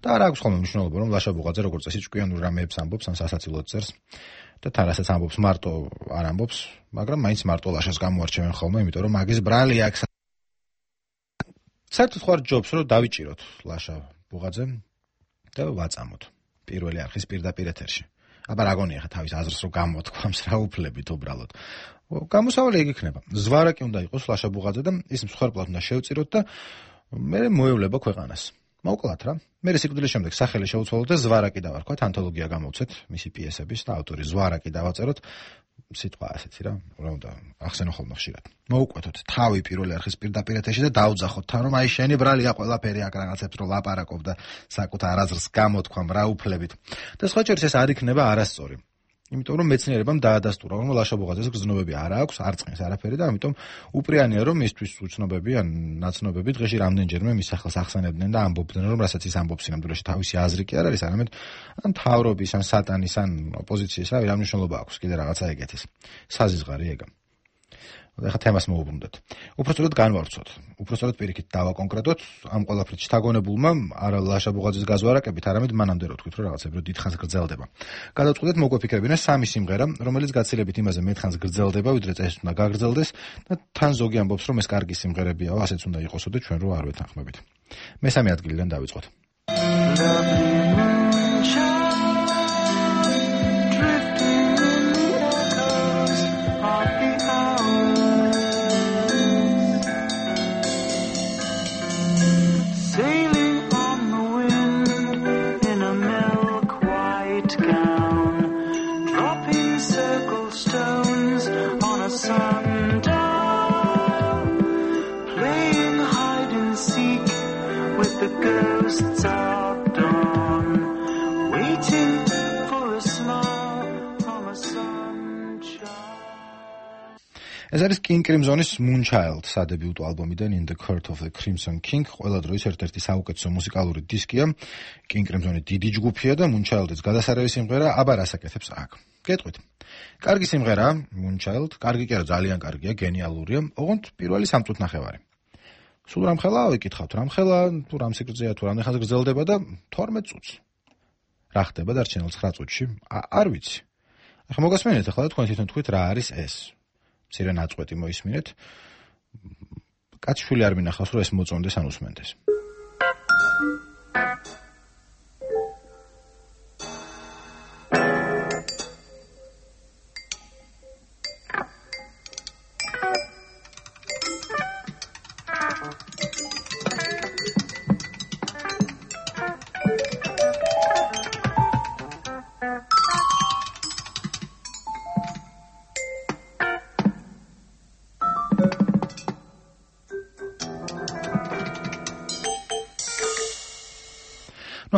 და არ აქვს ხოლმე მნიშვნელობა, რომ ლაშა ბუღაძე როგორც წესი ჭკვიანურ რამეებს ამბობს, ან სასაცილოდ წერს და თან რასაც ამბობს მარტო არ ამბობს, მაგრამ მაინც მარტო ლაშას გამოარჩევენ ხოლმე, იმიტომ რომ მაგის ბრალი აქვს. საერთოდ ხარ ჯობს, რომ დავიჭიროთ ლაშა ბუღაძე და ვაწამოთ პირველი არხის პირდაპირ ეთერში. აბა რა გონია ხა თავის აზრს რომ გამოთქვამს რა უფლებით უბრალოდ. გამოსავალი ეგ იქნება. ზვარაკი უნდა იყოს ლაშა ბუღაძე და ის მსხვერპლად უნდა შევწიროთ და მე მოევლება ქვეყანას. მოკლათ რა. მე სიკვდილის შემდეგ სახელი შეუცვალოთ და ზვარაკი დავარქვათ, ანთოლოგია გამოვცეთ მისი პიესების და ავტორი ზვარაკი დავაწეროთ. სიტყვა ასეთი რა, რა უნდა ახსენო ხოლმე ხშირად. მოუკვეთოთ თავი პირველი არხის პირდაპირ ეთერში და დაუძახოთ თან, რომ აი შენი ბრალია ყველაფერი აქ რაღაცებს რომ ლაპარაკობ და საკუთარ აზრს გამოთქვამ რა უფლებით. და სხვა ჯერს ეს არ იქნება არასწორი. იმიტომ რომ მეცნიერებამ დაადასტურა, რომ ლაშა ბუღაძეს გრძნობები არ აქვს, არ წინს არაფერი და ამიტომ უპრიანია რომ მისთვის უცნობები ან ნაცნობები დღეში რამდენჯერმე მის სახელს ახსენებდნენ და ამბობდნენ, რომ რასაც ის ამბობს სინამდვილეში თავისი აზრი კი არ არის, არამედ ან თავრობის, ან სატანის, ან ოპოზიციის, რა მნიშვნელობა აქვს კიდე რაღაცა ეგეთის. საზიზღარი ეგა. ეხლა თემას მოვუბრუნდეთ. უпростоრად განვავრცოთ. უпростоრად პირიქით დავაკონკრეტოთ ამ ყველაფრით შთაგონებულმა არა ლაშა ბუღაძის გაზვარაკებით, არამედ მანამდე რო თქვით, რომ რაღაცები რო დიდხანს გრძელდება. გადავწყვეტეთ მოგვეფიქრებინა სამი სიმღერა, რომელიც გაცილებით იმაზე მეტხანს გრძელდება, ვიდრე წესით უნდა გაგრძელდეს და თან ზოგი ამბობს, რომ ეს კარგი სიმღერებიაო, ასეც უნდა იყოსო და ჩვენ რო არ ვეთანხმებით. მესამე ადგილიდან დავიწყოთ. ეს არის King Crimson-ის Moonchild სადებიუტო ალბომიდან In the Court of the Crimson King, ყველა დროის ერთ-ერთი საუკეთესო მუსიკალური დისკია. King Crimson-ი დიდი ჯგუფია და Moonchild-იც გადასარევი სიმღერა, აბა რას აკეთებს აქ. გეტყვით. კარგი სიმღერაა Moonchild, კარგი კი არა, ძალიან კარგია, გენიალურია. ოღონდ პირველი 3 წუთი ნახევარი. სულ რამხელა ვიკითხავთ, რამხელა თუ რამ სიგრძეა, თუ რამ ხანს გრძელდება და 12 წუთს. რა ხდება დარჩენილ 9 წუთში? არ ვიცი. ახლა მოგასმენთ ახლა თქვენ თვითონ თქვით რა არის ეს. მცირე ნაწყვეტი მოისმინეთ. კაცშვილი არ მინახავს რომ ეს მოწონდეს ან უსმენდეს.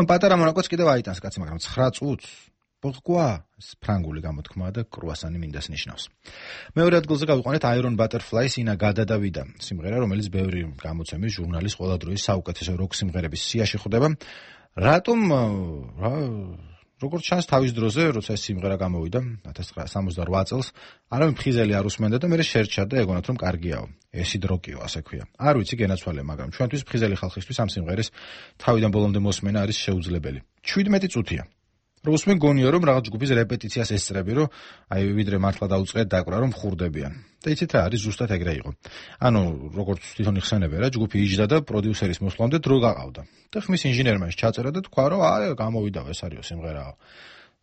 პატარა მონაკოც კიდევ აიტანს კაცი, მაგრამ 9 წუთს. Pourquoi? ფრანგული გამოთქმაა და კრუასანი მინდას ნიშნავს. მეორე ადგილზე გავიყვანეთ Iron Butterfly-ს ინა გადადავიდა სიმღერა, რომელიც ბევრი გამოცემის ჟურნალის ყველა დროის საუკეთესო როკ სიმღერების სიაში ხვდება. რატომ როგორც ჩანს თავის დროზე, როცა ეს სიმღერა გამოვიდა 1978 წელს, არავინ ფხიზელი არ უსმენდა და მე შერჩა და ეგონათ რომ კარგიაო. ესი დროკიო, ასე ქვია. არ ვიცი გენაცვალე, მაგრამ ჩვენთვის ფხიზელი ხალხისთვის ამ სიმღერის თავიდან ბოლომდე მოსმენა არის შეუძლებელი. 17 წუთია. როგორც მე გონია რომ რაღაც ჯგუფის რეპეტიციას ესწრები, რომ აი ვიდრე მართლა დაუწყეთ დაკვრა რომ ხურდებიან. და იცით რა არის ზუსტად ეგრე იყო. ანუ როგორც თვითონ იხსენებენ რა, ჯგუფი იჯდა და პროდიუსერის მოსვლამდე დრო გაყავდა. და ხმის ინჟინერმა ჩაწერა და თქვა რომ აი გამოვიდა ეს არისო სიმღერაო.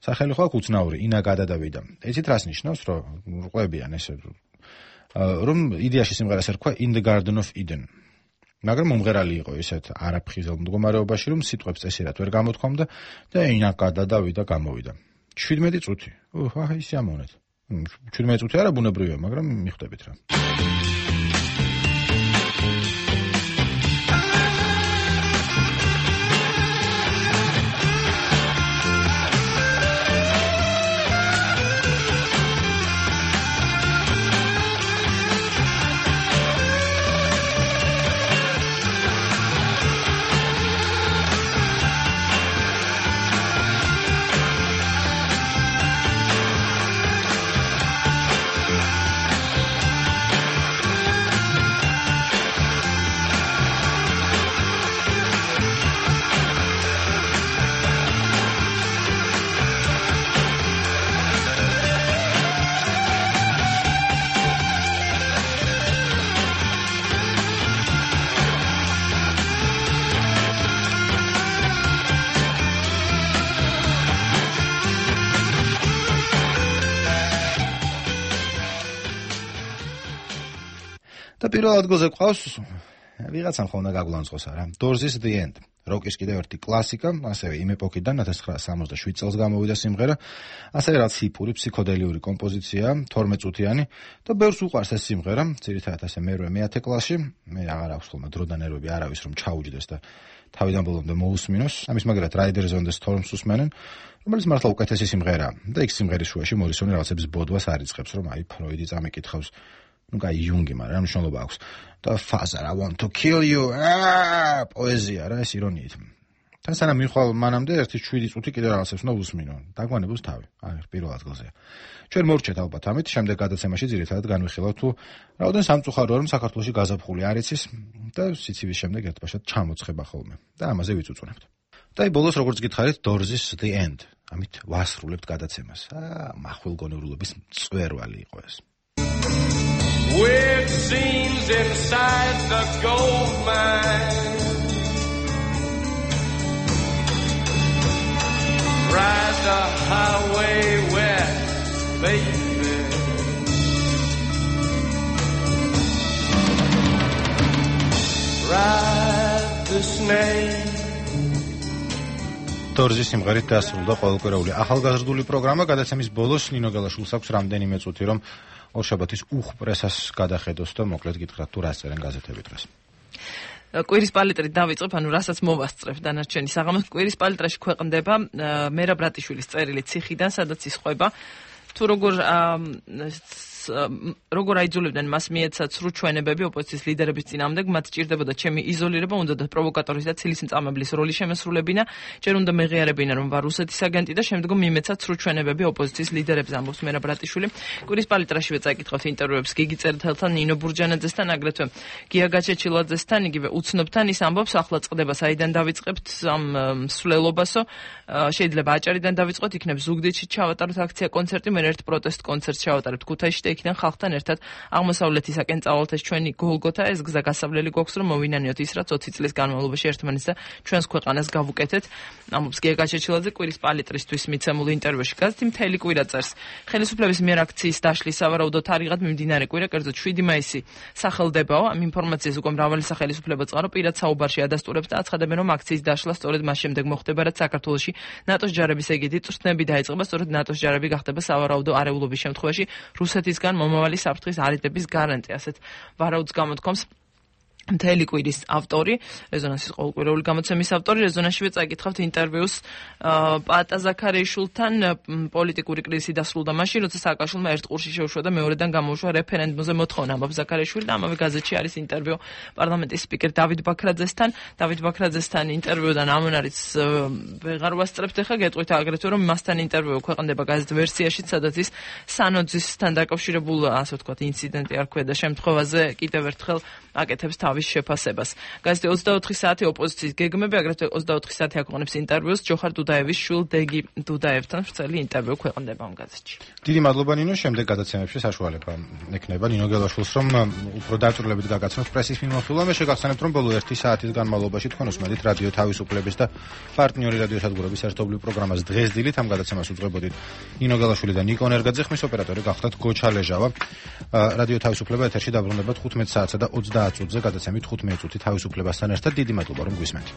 სახელი ხო აქვს უცნაური, ინა გადადავიდა. იცით რას ნიშნავს, რომ ყვებიან ესე რომ იდეაში სიმღერას ერქვა In the Garden of Eden. მაგრამ მომღერალი იყო ისეთ არაფხიზელ მდგომარეობაში, რომ სიტყვებს წესიერად ვერ გამოთქვამდა და ინა გადადავიდა გამოვიდა. 17 წუთი. აჰა ის ამონეთ. 17 წუთი არა ბუნებრივია, მაგრამ მიხვდებით რა. და პირველ ადგილზე ყავს ვიღაცამ ხომ უნდა გაგულანძღოს არა. Doors' The End. როკის კიდევ ერთი კლასიკა, ასევე იმ ეპოქიდან 1967 წელს გამოვიდა სიმღერა, ასევე რაც ჰიპური ფსიქოდელიური კომპოზიცია, 12 წუთიანი და ბევრს უყვარს ეს სიმღერა, ძირითადად ასე მე-10 კლასში, მე აღარ აქვს ხოლმე დრო და ნერვები არავის რომ ჩაუჯდეს და თავიდან ბოლომდე მოусმინოს. ამის მაგრად Riders on the Storms უსმენენ, რომელიც მართლა უკეთესი სიმღერაა და იქ სიმღერის შუაში მორისონი რაღაცების ბოდვას არიწყებს, რომ აი ფროიდი წამიკითხავს. Ну, кай Юнგი, მაგრამ მნიშვნელობა აქვს. და Father, I want to kill you. პოეზია რა, ეს ირონიით. თან სანამ მიხვალ მანამდე ერთი 7 წუთი კიდე რაღაცებს უნდა უსმინო. დაგვანებოს თავი. აი, პირველ ადგილზეა. ჩვენ მორჩეთ ალბათ ამით, შემდეგ გადაცემაში ძირითადად განვიხილავთ თუ რაოდენ სამწუხაროა რომ საქართველოში გაზაფხული არ იცის და სიცივის შემდეგ ერთბაშად ჩამოცხება ხოლმე. და ამაზე ვიწუწუნებთ. და აი ბოლოს როგორც გითხარით, Doors' The End. ამით ვასრულებთ გადაცემას. მახვილგონიურობის წვერვალი იყო ეს. Weird scenes inside the gold mine. Ride the highway west, baby. Ride the snake. Doors-ის სიმღერით დასრულდა ყოველკვირეული ახალგაზრდული პროგრამა. გადაცემის ბოლოს ნინო გელაშვილს აქვს რამდენიმე წუთი რომ ორშაბათის უხპრესას გადახედოს და მოკლედ გითხრათ თუ რას წერენ გაზეთები დღეს. კვირის პალიტრით დავიწყებ, ანუ რასაც მოვასწრებ დანარჩენი საღამოს. კვირის პალიტრაში ქვეყნდება მერაბ რატიშვილის წერილი ციხიდან, სადაც ისყვება თუ როგორ აიძულებდნენ მას მიეცა ცრუ ჩვენებები ოპოზიციის ლიდერების წინააღმდეგ, მათ ჭირდებოდა ჩემი იზოლირება, უნდა და პროვოკატორის და ცილის მწამებლის როლი შემესრულებინა, ჯერ უნდა მეღიარებინა რომ ვარ რუსეთის აგენტი და შემდგომ მიმეცა ცრუ ჩვენებები ოპოზიციის ლიდერებს, ამბობს მერაბ რატიშვილი. კვირის პალიტრაშივე წაიკითხავთ ინტერვიუებს გიგი წერეთელთან, ნინო ბურჯანაძესთან, აგრეთვე გია გაჩეჩილაძესთან, იგივე უცნობთან. ის ამბობს, ახლა წყდება საიდან დავიწყებთ ამ მსვლელობასო, შეიძლება აჭარიდან დავიწყოთ, იქნებ ზუგდიდში ჩავატაროთ აქცია კონცერტი, მე ერთ პროტესტ კონცერტს ჩავატარებთ ქუთაისში. იქიდან ხალხთან ერთად აღმოსავლეთისაკენ წავალთ ეს ჩვენი გოლგოთა, ეს გზა გასავლელი გვაქვს რომ მოვინანიოთ ის რაც 20 წლის განმავლობაში ერთმანეთს და ჩვენს ქვეყანას გავუკეთეთ. ამბობს გია გაჩეჩილაძე კვირის პალიტრისთვის მიცემულ ინტერვიუში. გაზეთი მთელი კვირა წერს. ხელისუფლების მიერ აქციის დაშლის სავარაუდოდ არიღად მიმდინარე კვირა, კერძოდ 7 მაისი სახელდებაო. ამ ინფორმაციას უკვე მრავალი სახელისუფლება წყარო პირად საუბარში ადასტურებს და აცხადებენ რომ აქციის დაშლა სწორედ მას შემდეგ მოხდება, რაც საქართველოში ნატოს ჯარების ეგეთი წვრთნები დაიწყება, სწორედ ნატოს ჯარები გახდება სავარაუდო არეულობის შემთხვევაში რუსეთისგან მომავალი საფრთხის არიდების გარანტი, ასეთ ვარაუდს გამოთქვამს მთელი კვირის ავტორი, რეზონანსის ყოველკვირეული გამოცემის ავტორი, რეზონანსშივე წაიკითხავთ ინტერვიუს პაატა ზაქარიაშვილთან. პოლიტიკური კრიზისი დასრულდა მაშინ, როცა სააკაშვილმა ერთ ყურში შეუშვა და მეორედან გამოუშვა რეფერენდუმზე მოთხოვნა. ამბობს ზაქარიაშვილი და ამავე გაზეთში არის ინტერვიუ პარლამენტის სპიკერ დავით ბაქრაძესთან. დავით ბაქრაძესთან ინტერვიუდან ამან არის ვეღარ ვასწრებთ ახლა, გეტყვით აგრეთვე რომ მასთან ინტერვიუ ქვეყნდება გაზეთ ვერსიაში, სადაც ის სანოძისთან დაკავშირებულ, ასე ვთქვათ, ინციდენტი არ ქვია და შემთხვევაზე კიდევ ერთხელ აკეთებს თავის შეფასებას. გაზეთი 24 საათი ოპოზიციის გეგმები, აგრეთვე 24 საათი აქვეყნებს ინტერვიუს ჯოხარ დუდაევის შვილ დეგი დუდაევთან. ვრცელი ინტერვიუ ქვეყნდება ამ გაზეთში. დიდი მადლობა ნინო, შემდეგ გადაცემებში საშუალება ექნება ნინო გელაშვილს რომ უფრო დაწვრილებით გაგაცნოს პრესის მიმოხილვა. მე შეგახსენებთ რომ ბოლო 1 საათის განმავლობაში თქვენ უსმენთ რადიო თავისუფლების და პარტნიორი რადიო სადგურების ერთობლივ პროგრამას დღეს დილით. ამ გადაცემას უძღვებოდით ნინო გელაშვილი და ნიკო ნერგაძე, ხმის ოპერატორი გახლდათ გოჩა ლეჟავა. რადიო თავისუფლება ეთერში დაბრუნდება 15 საათსა და 30 წუთზე გადაცემით 15 წუთი თავისუფლებასთან ერთად. დიდი მადლობა რომ გვისმენთ.